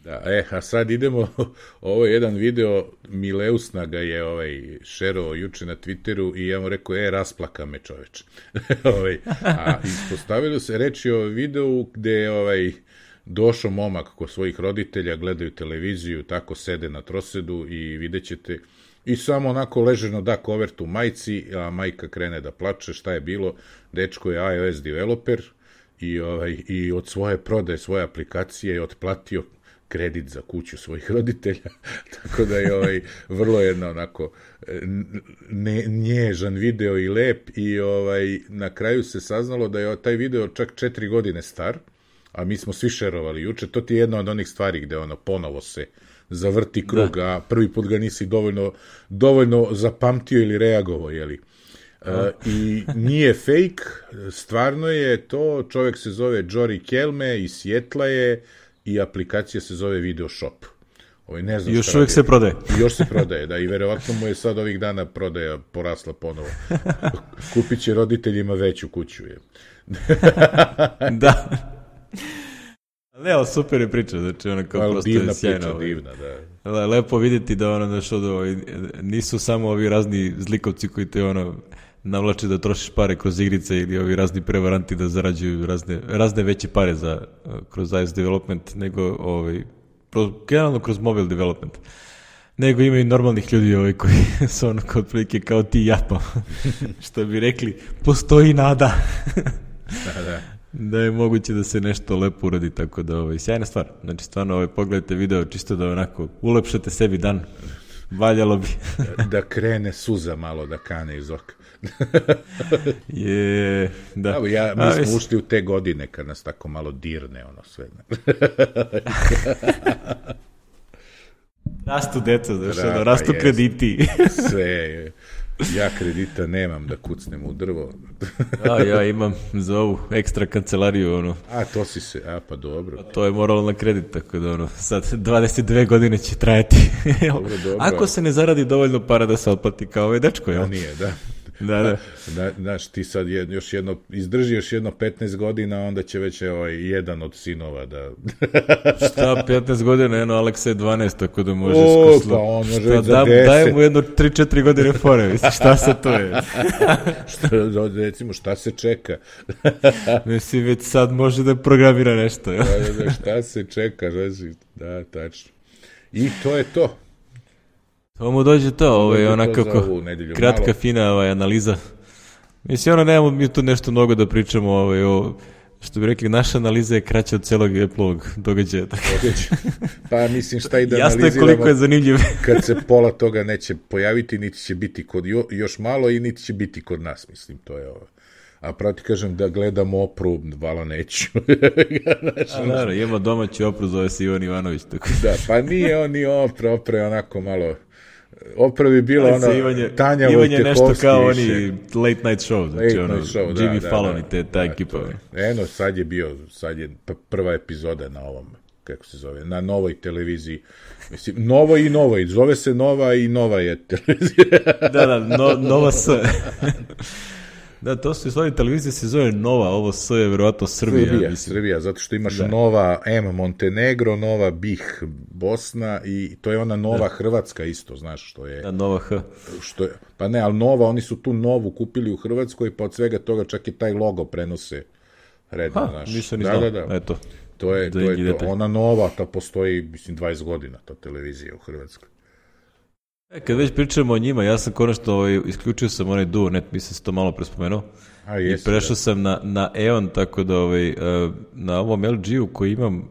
Da, a sad idemo, ovo je jedan video, Mileusna ga je šerovao juče na Twitteru i ja mu rekao, rasplaka me čoveč. A ispostavilo se, reći o videu gde je došao momak kod svojih roditelja, gledaju televiziju, tako sede na trosedu i vidjet ćete, i samo onako ležerno da kovertu majci, a majka krene da plače, šta je bilo, dečko je iOS developer i od svoje prodaje, svoje aplikacije je otplatio kredit za kuću svojih roditelja, tako da je vrlo jedno onako nježan video i lep i na kraju se saznalo da je taj video čak 4 godine star, a mi smo svi šerovali juče. To ti je jedna od onih stvari gde ponovo se zavrti krug, a prvi put ga nisi dovoljno zapamtio ili reagovao, jeli? I nije fake, stvarno je to, čovjek se zove Jory Kelme, iz Sjetla je i aplikacija se zove Video Shop. Ne znam, još uvijek se prodaje. Još se prodaje, da, i verovatno mu je sad ovih dana prodaja porasla ponovo. Kupit će roditeljima veću kuću. Da. Ne, ali super je priča, znači ono kao prosto je sjajno. Divna, da. Lepo vidjeti da nisu samo ovi razni zlikovci koji te navlače da trošiš pare kroz igrice ili ovi razni prevaranti da zarađuju razne veće pare kroz iOS development, nego generalno kroz mobile development. Nego ima i normalnih ljudi koji su kao otprilike kao ti i ja, pa što bi rekli, postoji nada. Da. Da je moguće da se nešto lepo uradi, tako da sjajna stvar. Znači stvarno pogledajte video čisto da onako ulepšate sebi dan. Valjalo bi. Da krene suza malo, da kane iz oka. Da. Mi smo ušli u te godine kad nas tako malo dirne sve. Rastu deca, rastu krediti. Sve je. Ja kredita nemam da kucnem u drvo. Ja imam za ovu ekstra kancelariju. To si se, pa dobro. To je moralo na kredit, tako da sad 22 godine će trajati. Dobro. Ako se ne zaradi dovoljno para da se otplati kao ovaj dečko, jel? Nije, da. Da. Znaš, ti sad izdrži još jedno 15 godina, onda će već jedan od sinova da... Šta, 15 godina, Aleksa je 12, tako da može pa on može već za 10. Daj mu jedno 3-4 godine fore, šta se to je? Recimo, šta se čeka? Mislim, već sad može da programira nešto, jel? Šta se čeka, da, tačno. I to je to. To mu dođe to, onako kratka, fina analiza. Mislim, nemamo mi tu nešto mnogo da pričamo, što bi rekli, naša analiza je kraća od celog Apple-ovog događaja. Pa mislim, šta i da jasno analiziramo. Jasno je koliko je zanimljivo. Kad se pola toga neće pojaviti, niti će biti kod još malo i niti će biti kod nas, mislim, to je ovo. A pravo ti kažem da gledam Opru, vala neću. Naravno, ima domaći Opru, zove se Ivan Ivanović. Tako. Da, pa nije on ni Opra je onako malo... Opra bi bila Tanja Vojtehovski. Ivan je nešto kao oni late night show, znači Jimmy Fallon i ta ekipa. Sad je prva epizoda na ovom, kako se zove, na novoj televiziji. Mislim, novoj, zove se Nova i Nova je televizija. Da, Nova S. Da, to su stvari, televizija se zove Nova, ovo S je verovatno Srbija, zato što imaš Nova M Montenegro, Nova BiH Bosna i to je ona Nova Hrvatska isto, znaš što je. Da, Nova H. Pa ne, ali Nova, oni su tu Novu kupili u Hrvatskoj, pa od svega toga čak i taj logo prenose redno, znaš. Nisam ni znao, eto. To je to. Ona Nova, ta postoji, mislim, 20 godina, ta televizija u Hrvatskoj. Kad već pričamo o njima, ja sam konačno isključio sam onaj DuoNet, mislim se to malo prespomenuo. I prešao sam na EON, tako da na ovom LG-u koji imam,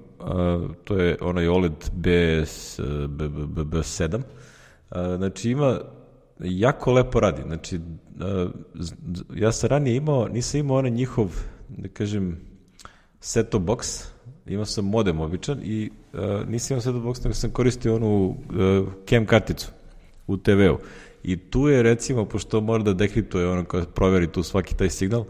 to je onaj OLED B7, znači jako lepo radi. Znači, ja sam ranije nisam imao onaj njihov, da kažem, set-top box, imao sam modem običan i nisam imao set-top box, nego sam koristio onu cam karticu u TV-u. I tu je, recimo, pošto mora da dekriptuje kada proveri tu svaki taj signal,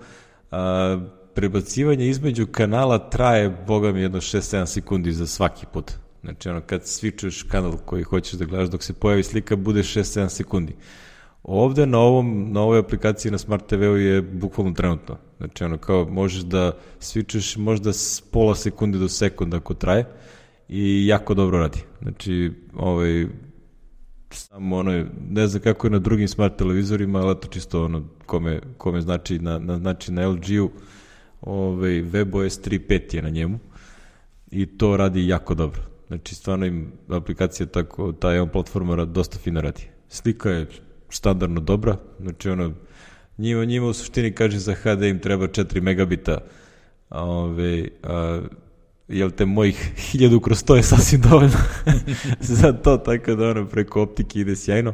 prebacivanje između kanala traje, boga mi, jedno 6-7 sekundi za svaki put. Znači, kad switchuješ kanal koji hoćeš da gledaš, dok se pojavi slika, bude 6-7 sekundi. Ovde, na ovoj aplikaciji na Smart TV-u je bukvalno trenutno. Znači, kao možeš da switchuješ možda s pola sekunde do sekunda ako traje i jako dobro radi. Znači, samo ne znam kako je na drugim smart televizorima, ali to čisto kome znači na LG-u WebOS 3.5 je na njemu i to radi jako dobro. Znači stvarno im aplikacija tako, ta jedan platforma dosta fino radi. Slika je standardno dobra, znači njima u suštini kaže za HD im treba 4 megabita Jel te mojih 1000 kroz 100 je sasvim dovoljno za to, tako da ono preko optike ide sjajno.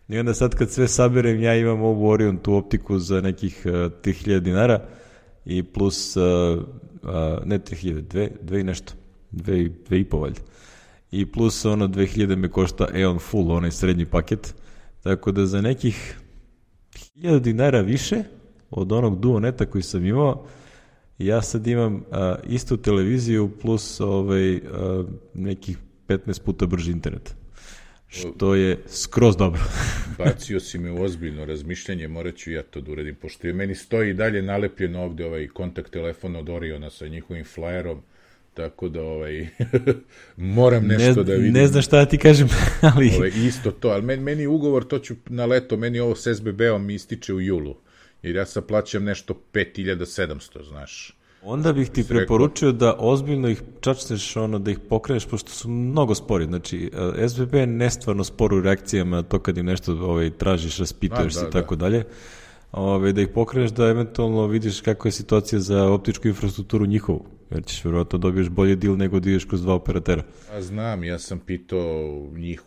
I onda sad kad sve saberem, ja imam ovu Orion, tu optiku za nekih 3000 dinara i plus, ne 3000, dve i nešto, 2,5 valjda. I plus ono 2000 me košta Eon Full, onaj srednji paket, tako da za nekih 1000 dinara više od onog Duoneta koji sam imao, ja sad imam istu televiziju plus nekih 15 puta brži internet. Što je skroz dobro. Bacio si me u ozbiljno razmišljanje, morat ću ja to da uradim, pošto je meni stoji i dalje nalepljeno ovde ovaj kontakt telefon od Oriona sa njihovim flajerom, tako da moram nešto da vidim. Ne znam šta da ti kažem, ali... Isto to, ali meni ugovor, to ću na leto, meni ovo s SBB-om mi ističe u julu, jer ja sad plaćam nešto 5700, znaš. Onda bih ti preporučio da ozbiljno ih čačneš, da ih pokreneš, pošto su mnogo spori. Znači, SBB je nestvarno spor u reakcijama, to kad im nešto tražiš, raspituješ se i tako dalje. Da ih pokreneš, da eventualno vidiš kakva je situacija za optičku infrastrukturu njihovu. Jer ćeš verovatno dobiješ bolji deal nego da ideš kroz dva operatera. A znam, ja sam pitao njih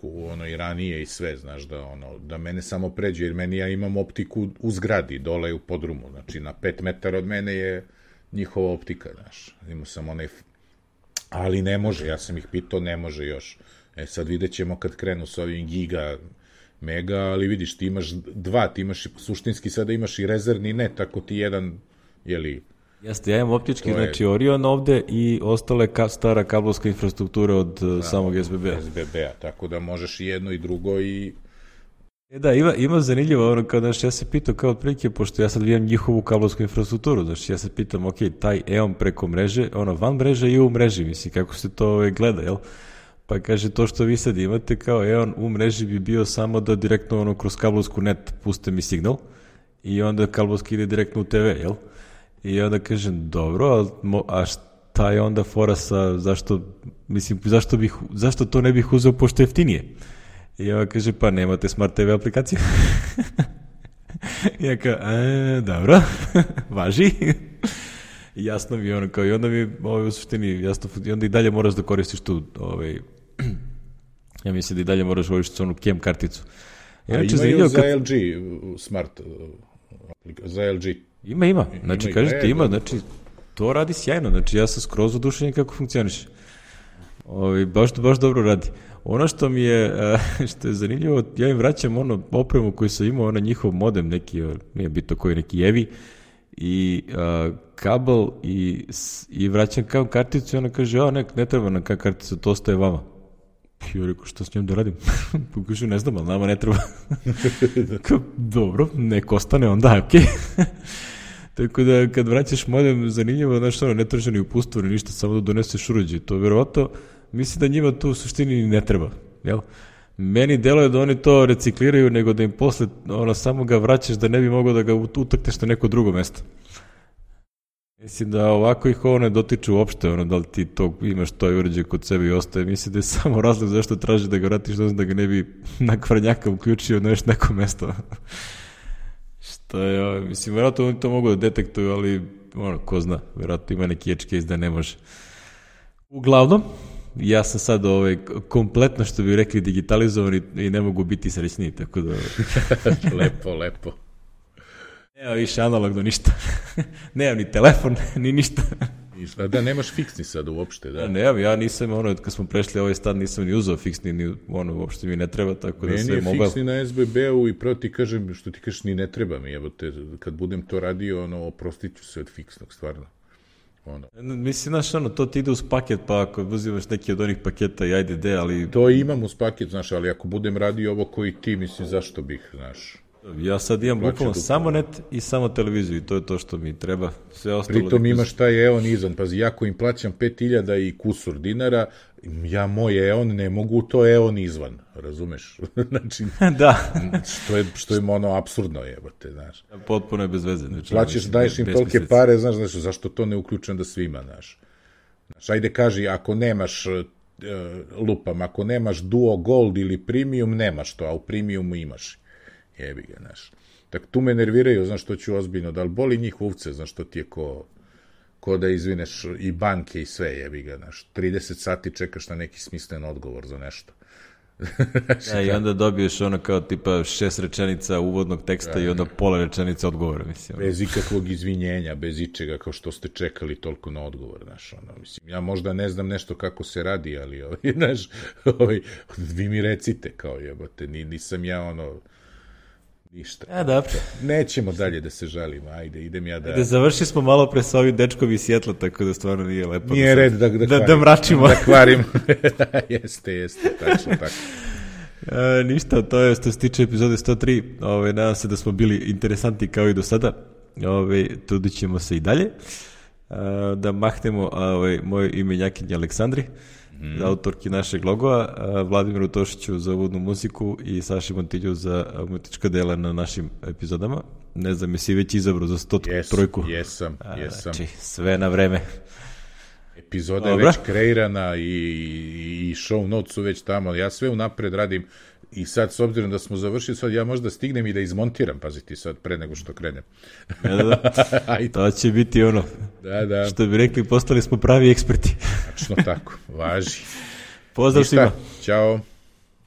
i ranije i sve, znaš, da mene samo pređe, jer ja imam optiku u zgradi, dole u podrumu, znači na 5 metara od mene je njihova optika, znaš, imao sam ali ne može, ja sam ih pitao, ne može još. Sad vidjet ćemo kad krenu s ovim giga, mega, ali vidiš, ti imaš dva, ti imaš suštinski sada imaš i rezervni net, ako ti jedan, Jeste, ja imam optički, znači Orion ovde i ostale stara kablovska infrastruktura od samog SBB-a. SBB-a, tako da možeš i jedno i drugo i... Da, ima zanimljivo, kao ja se pitao kao otprilike, pošto ja sad vidim njihovu kablovsku infrastrukturu, znači ja se pitam, taj EON preko mreže, van mreže i u mreži, misli, kako se to gleda, jel? Pa kaže, to što vi sad imate kao EON u mreži bi bio samo da direktno kroz kablovsku net puste mi signal i onda kablovski ide direktno u TV, jel? I onda kažem, dobro, a šta je onda fora sa, zašto to ne bih uzeo pošto jeftinije? I onda kaže, pa nemate Smart TV aplikaciju. I ja kao, dobro, važi. I jasno mi je kao, i onda mi u suštini jasno, i onda i dalje moraš da koristiš tu, ja mislim da i dalje moraš koristiti onu KEM karticu. A imaju za LG Smart, za LG. Ima. Znači, kažete, ima, znači, to radi sjajno. Znači, ja sam skroz oduševljen kako funkcioniše. Baš dobro radi. Ono što mi je, što je zanimljivo, ja im vraćam opremu koju sam imao, njihov modem, neki, nije bitno koji, neki EVI, i kabel, i vraćam kao karticu i ona kaže, ne treba nam kao kartica, to ostaje vama. I ja rekao, što s njom da radim? Kažu, ne znam, ali nama ne treba. Dobro, nek ostane onda, okej. Tako da, kad vraćaš modem, zanimljivo, ne traže ni upustvo, ni ništa, samo da doneseš uređaj. To verovatno, mislim da njima to u suštini ne treba, jel? Meni deluje da oni to recikliraju, nego da im posle, samo ga vraćaš da ne bi mogao da ga utakneš na neko drugo mesto. Mislim da ovako ih ne dotiče uopšte, da li ti to imaš to uređaj kod sebe i ostaje. Mislim da je samo razlog zašto traži da ga vratiš, da ga ne bi na kvarnjaka uključio na još neko mesto. Što je, mislim, verovatno oni to mogu da detektuju, ali, ko zna, verovatno ima neki edge case da ne može. Uglavnom, ja sam sad kompletno, što bi rekli, digitalizovan i ne mogu biti srećniji, tako da... Lepo. Nema više analogno ništa. Nemam ni telefon, ni ništa. Da, nemaš fiksni sad uopšte, da? Nemam, ja nisam, kad smo prešli ovaj stan, nisam ni uzeo fiksni, uopšte mi ne treba, tako da sve mobile. Meni je fiksni na SBB-u i prvo ti kažem, što ti kažeš, ni ne treba mi, evo te, kad budem to radio, oprostit ću se od fiksnog, stvarno. Mislim, to ti ide uz paket, pa ako uzimaš neki od onih paketa i ajde, ali... To imam uz paket, znaš, ali ako budem radio ovo koji ti, mislim, zašto bih, znaš... Ja sad imam bukvalno samo net i samo televiziju i to je to što mi treba. Sve ostalo. Pritom imaš taj EON izvan. Pazi, ja ko im plaćam 5000 i kusur dinara, ja moj EON ne mogu to EON izvan. Razumeš? Znači, da. Što je apsurdno jebote, znaš. Potpuno je bez veze. Plaćaš, daješ im tolike pare, znaš, zašto to ne uključujem da svima, znaš. Ajde kaži, ako nemaš lupam, ako nemaš Duo Gold ili Premium, nemaš to, a u Premiumu imaš. Jebi ga, znaš. Tako tu me nerviraju, znaš, što ću ozbiljno, da li boli njih uvce, znaš, što ti je ko ko da izvineš i banke i sve, jebi ga, znaš, 30 sati čekaš na neki smislen odgovor za nešto. I onda dobiješ ono kao tipa 6 rečenica uvodnog teksta i onda pola rečenica odgovora, mislim. Bez ikakvog izvinjenja, bez ičega, kao što ste čekali toliko na odgovor, znaš, ono, mislim, ja možda ne znam nešto kako se radi, ali, znaš, vi mi recite, kao jebote, nisam ja, ono, ništa. Dobro. Nećemo dalje da se žalimo, ajde, idem ja da... Ajde, završi smo malo pre sa ovim dečkom iz Sjetla, tako da stvarno nije lepo. Nije red da mračimo. Da kvarimo. Jeste, tačno tako. Ništa, to je što se tiče epizode 103. Nadam se da smo bili interesanti kao i do sada. Trudit ćemo se i dalje. Da mahnemo moje imenjakinje Aleksandri, autorki našeg logova, Vladimiru Tošiću za uvodnu muziku i Saši Montilju za umetnička dela na našim epizodama. Ne znam, jesi već izabrao za 103. Jesam. Znači, sve na vreme. Epizoda je već kreirana i show notes su već tamo. Ja sve unapred radim i sad, s obzirom da smo završili, sad ja možda stignem i da izmontiram, paziti sad, pre nego što krenem. Da. To će biti ono, što bi rekli, postali smo pravi eksperti. Tačno tako, važi. Pozdrav svima. Ćao.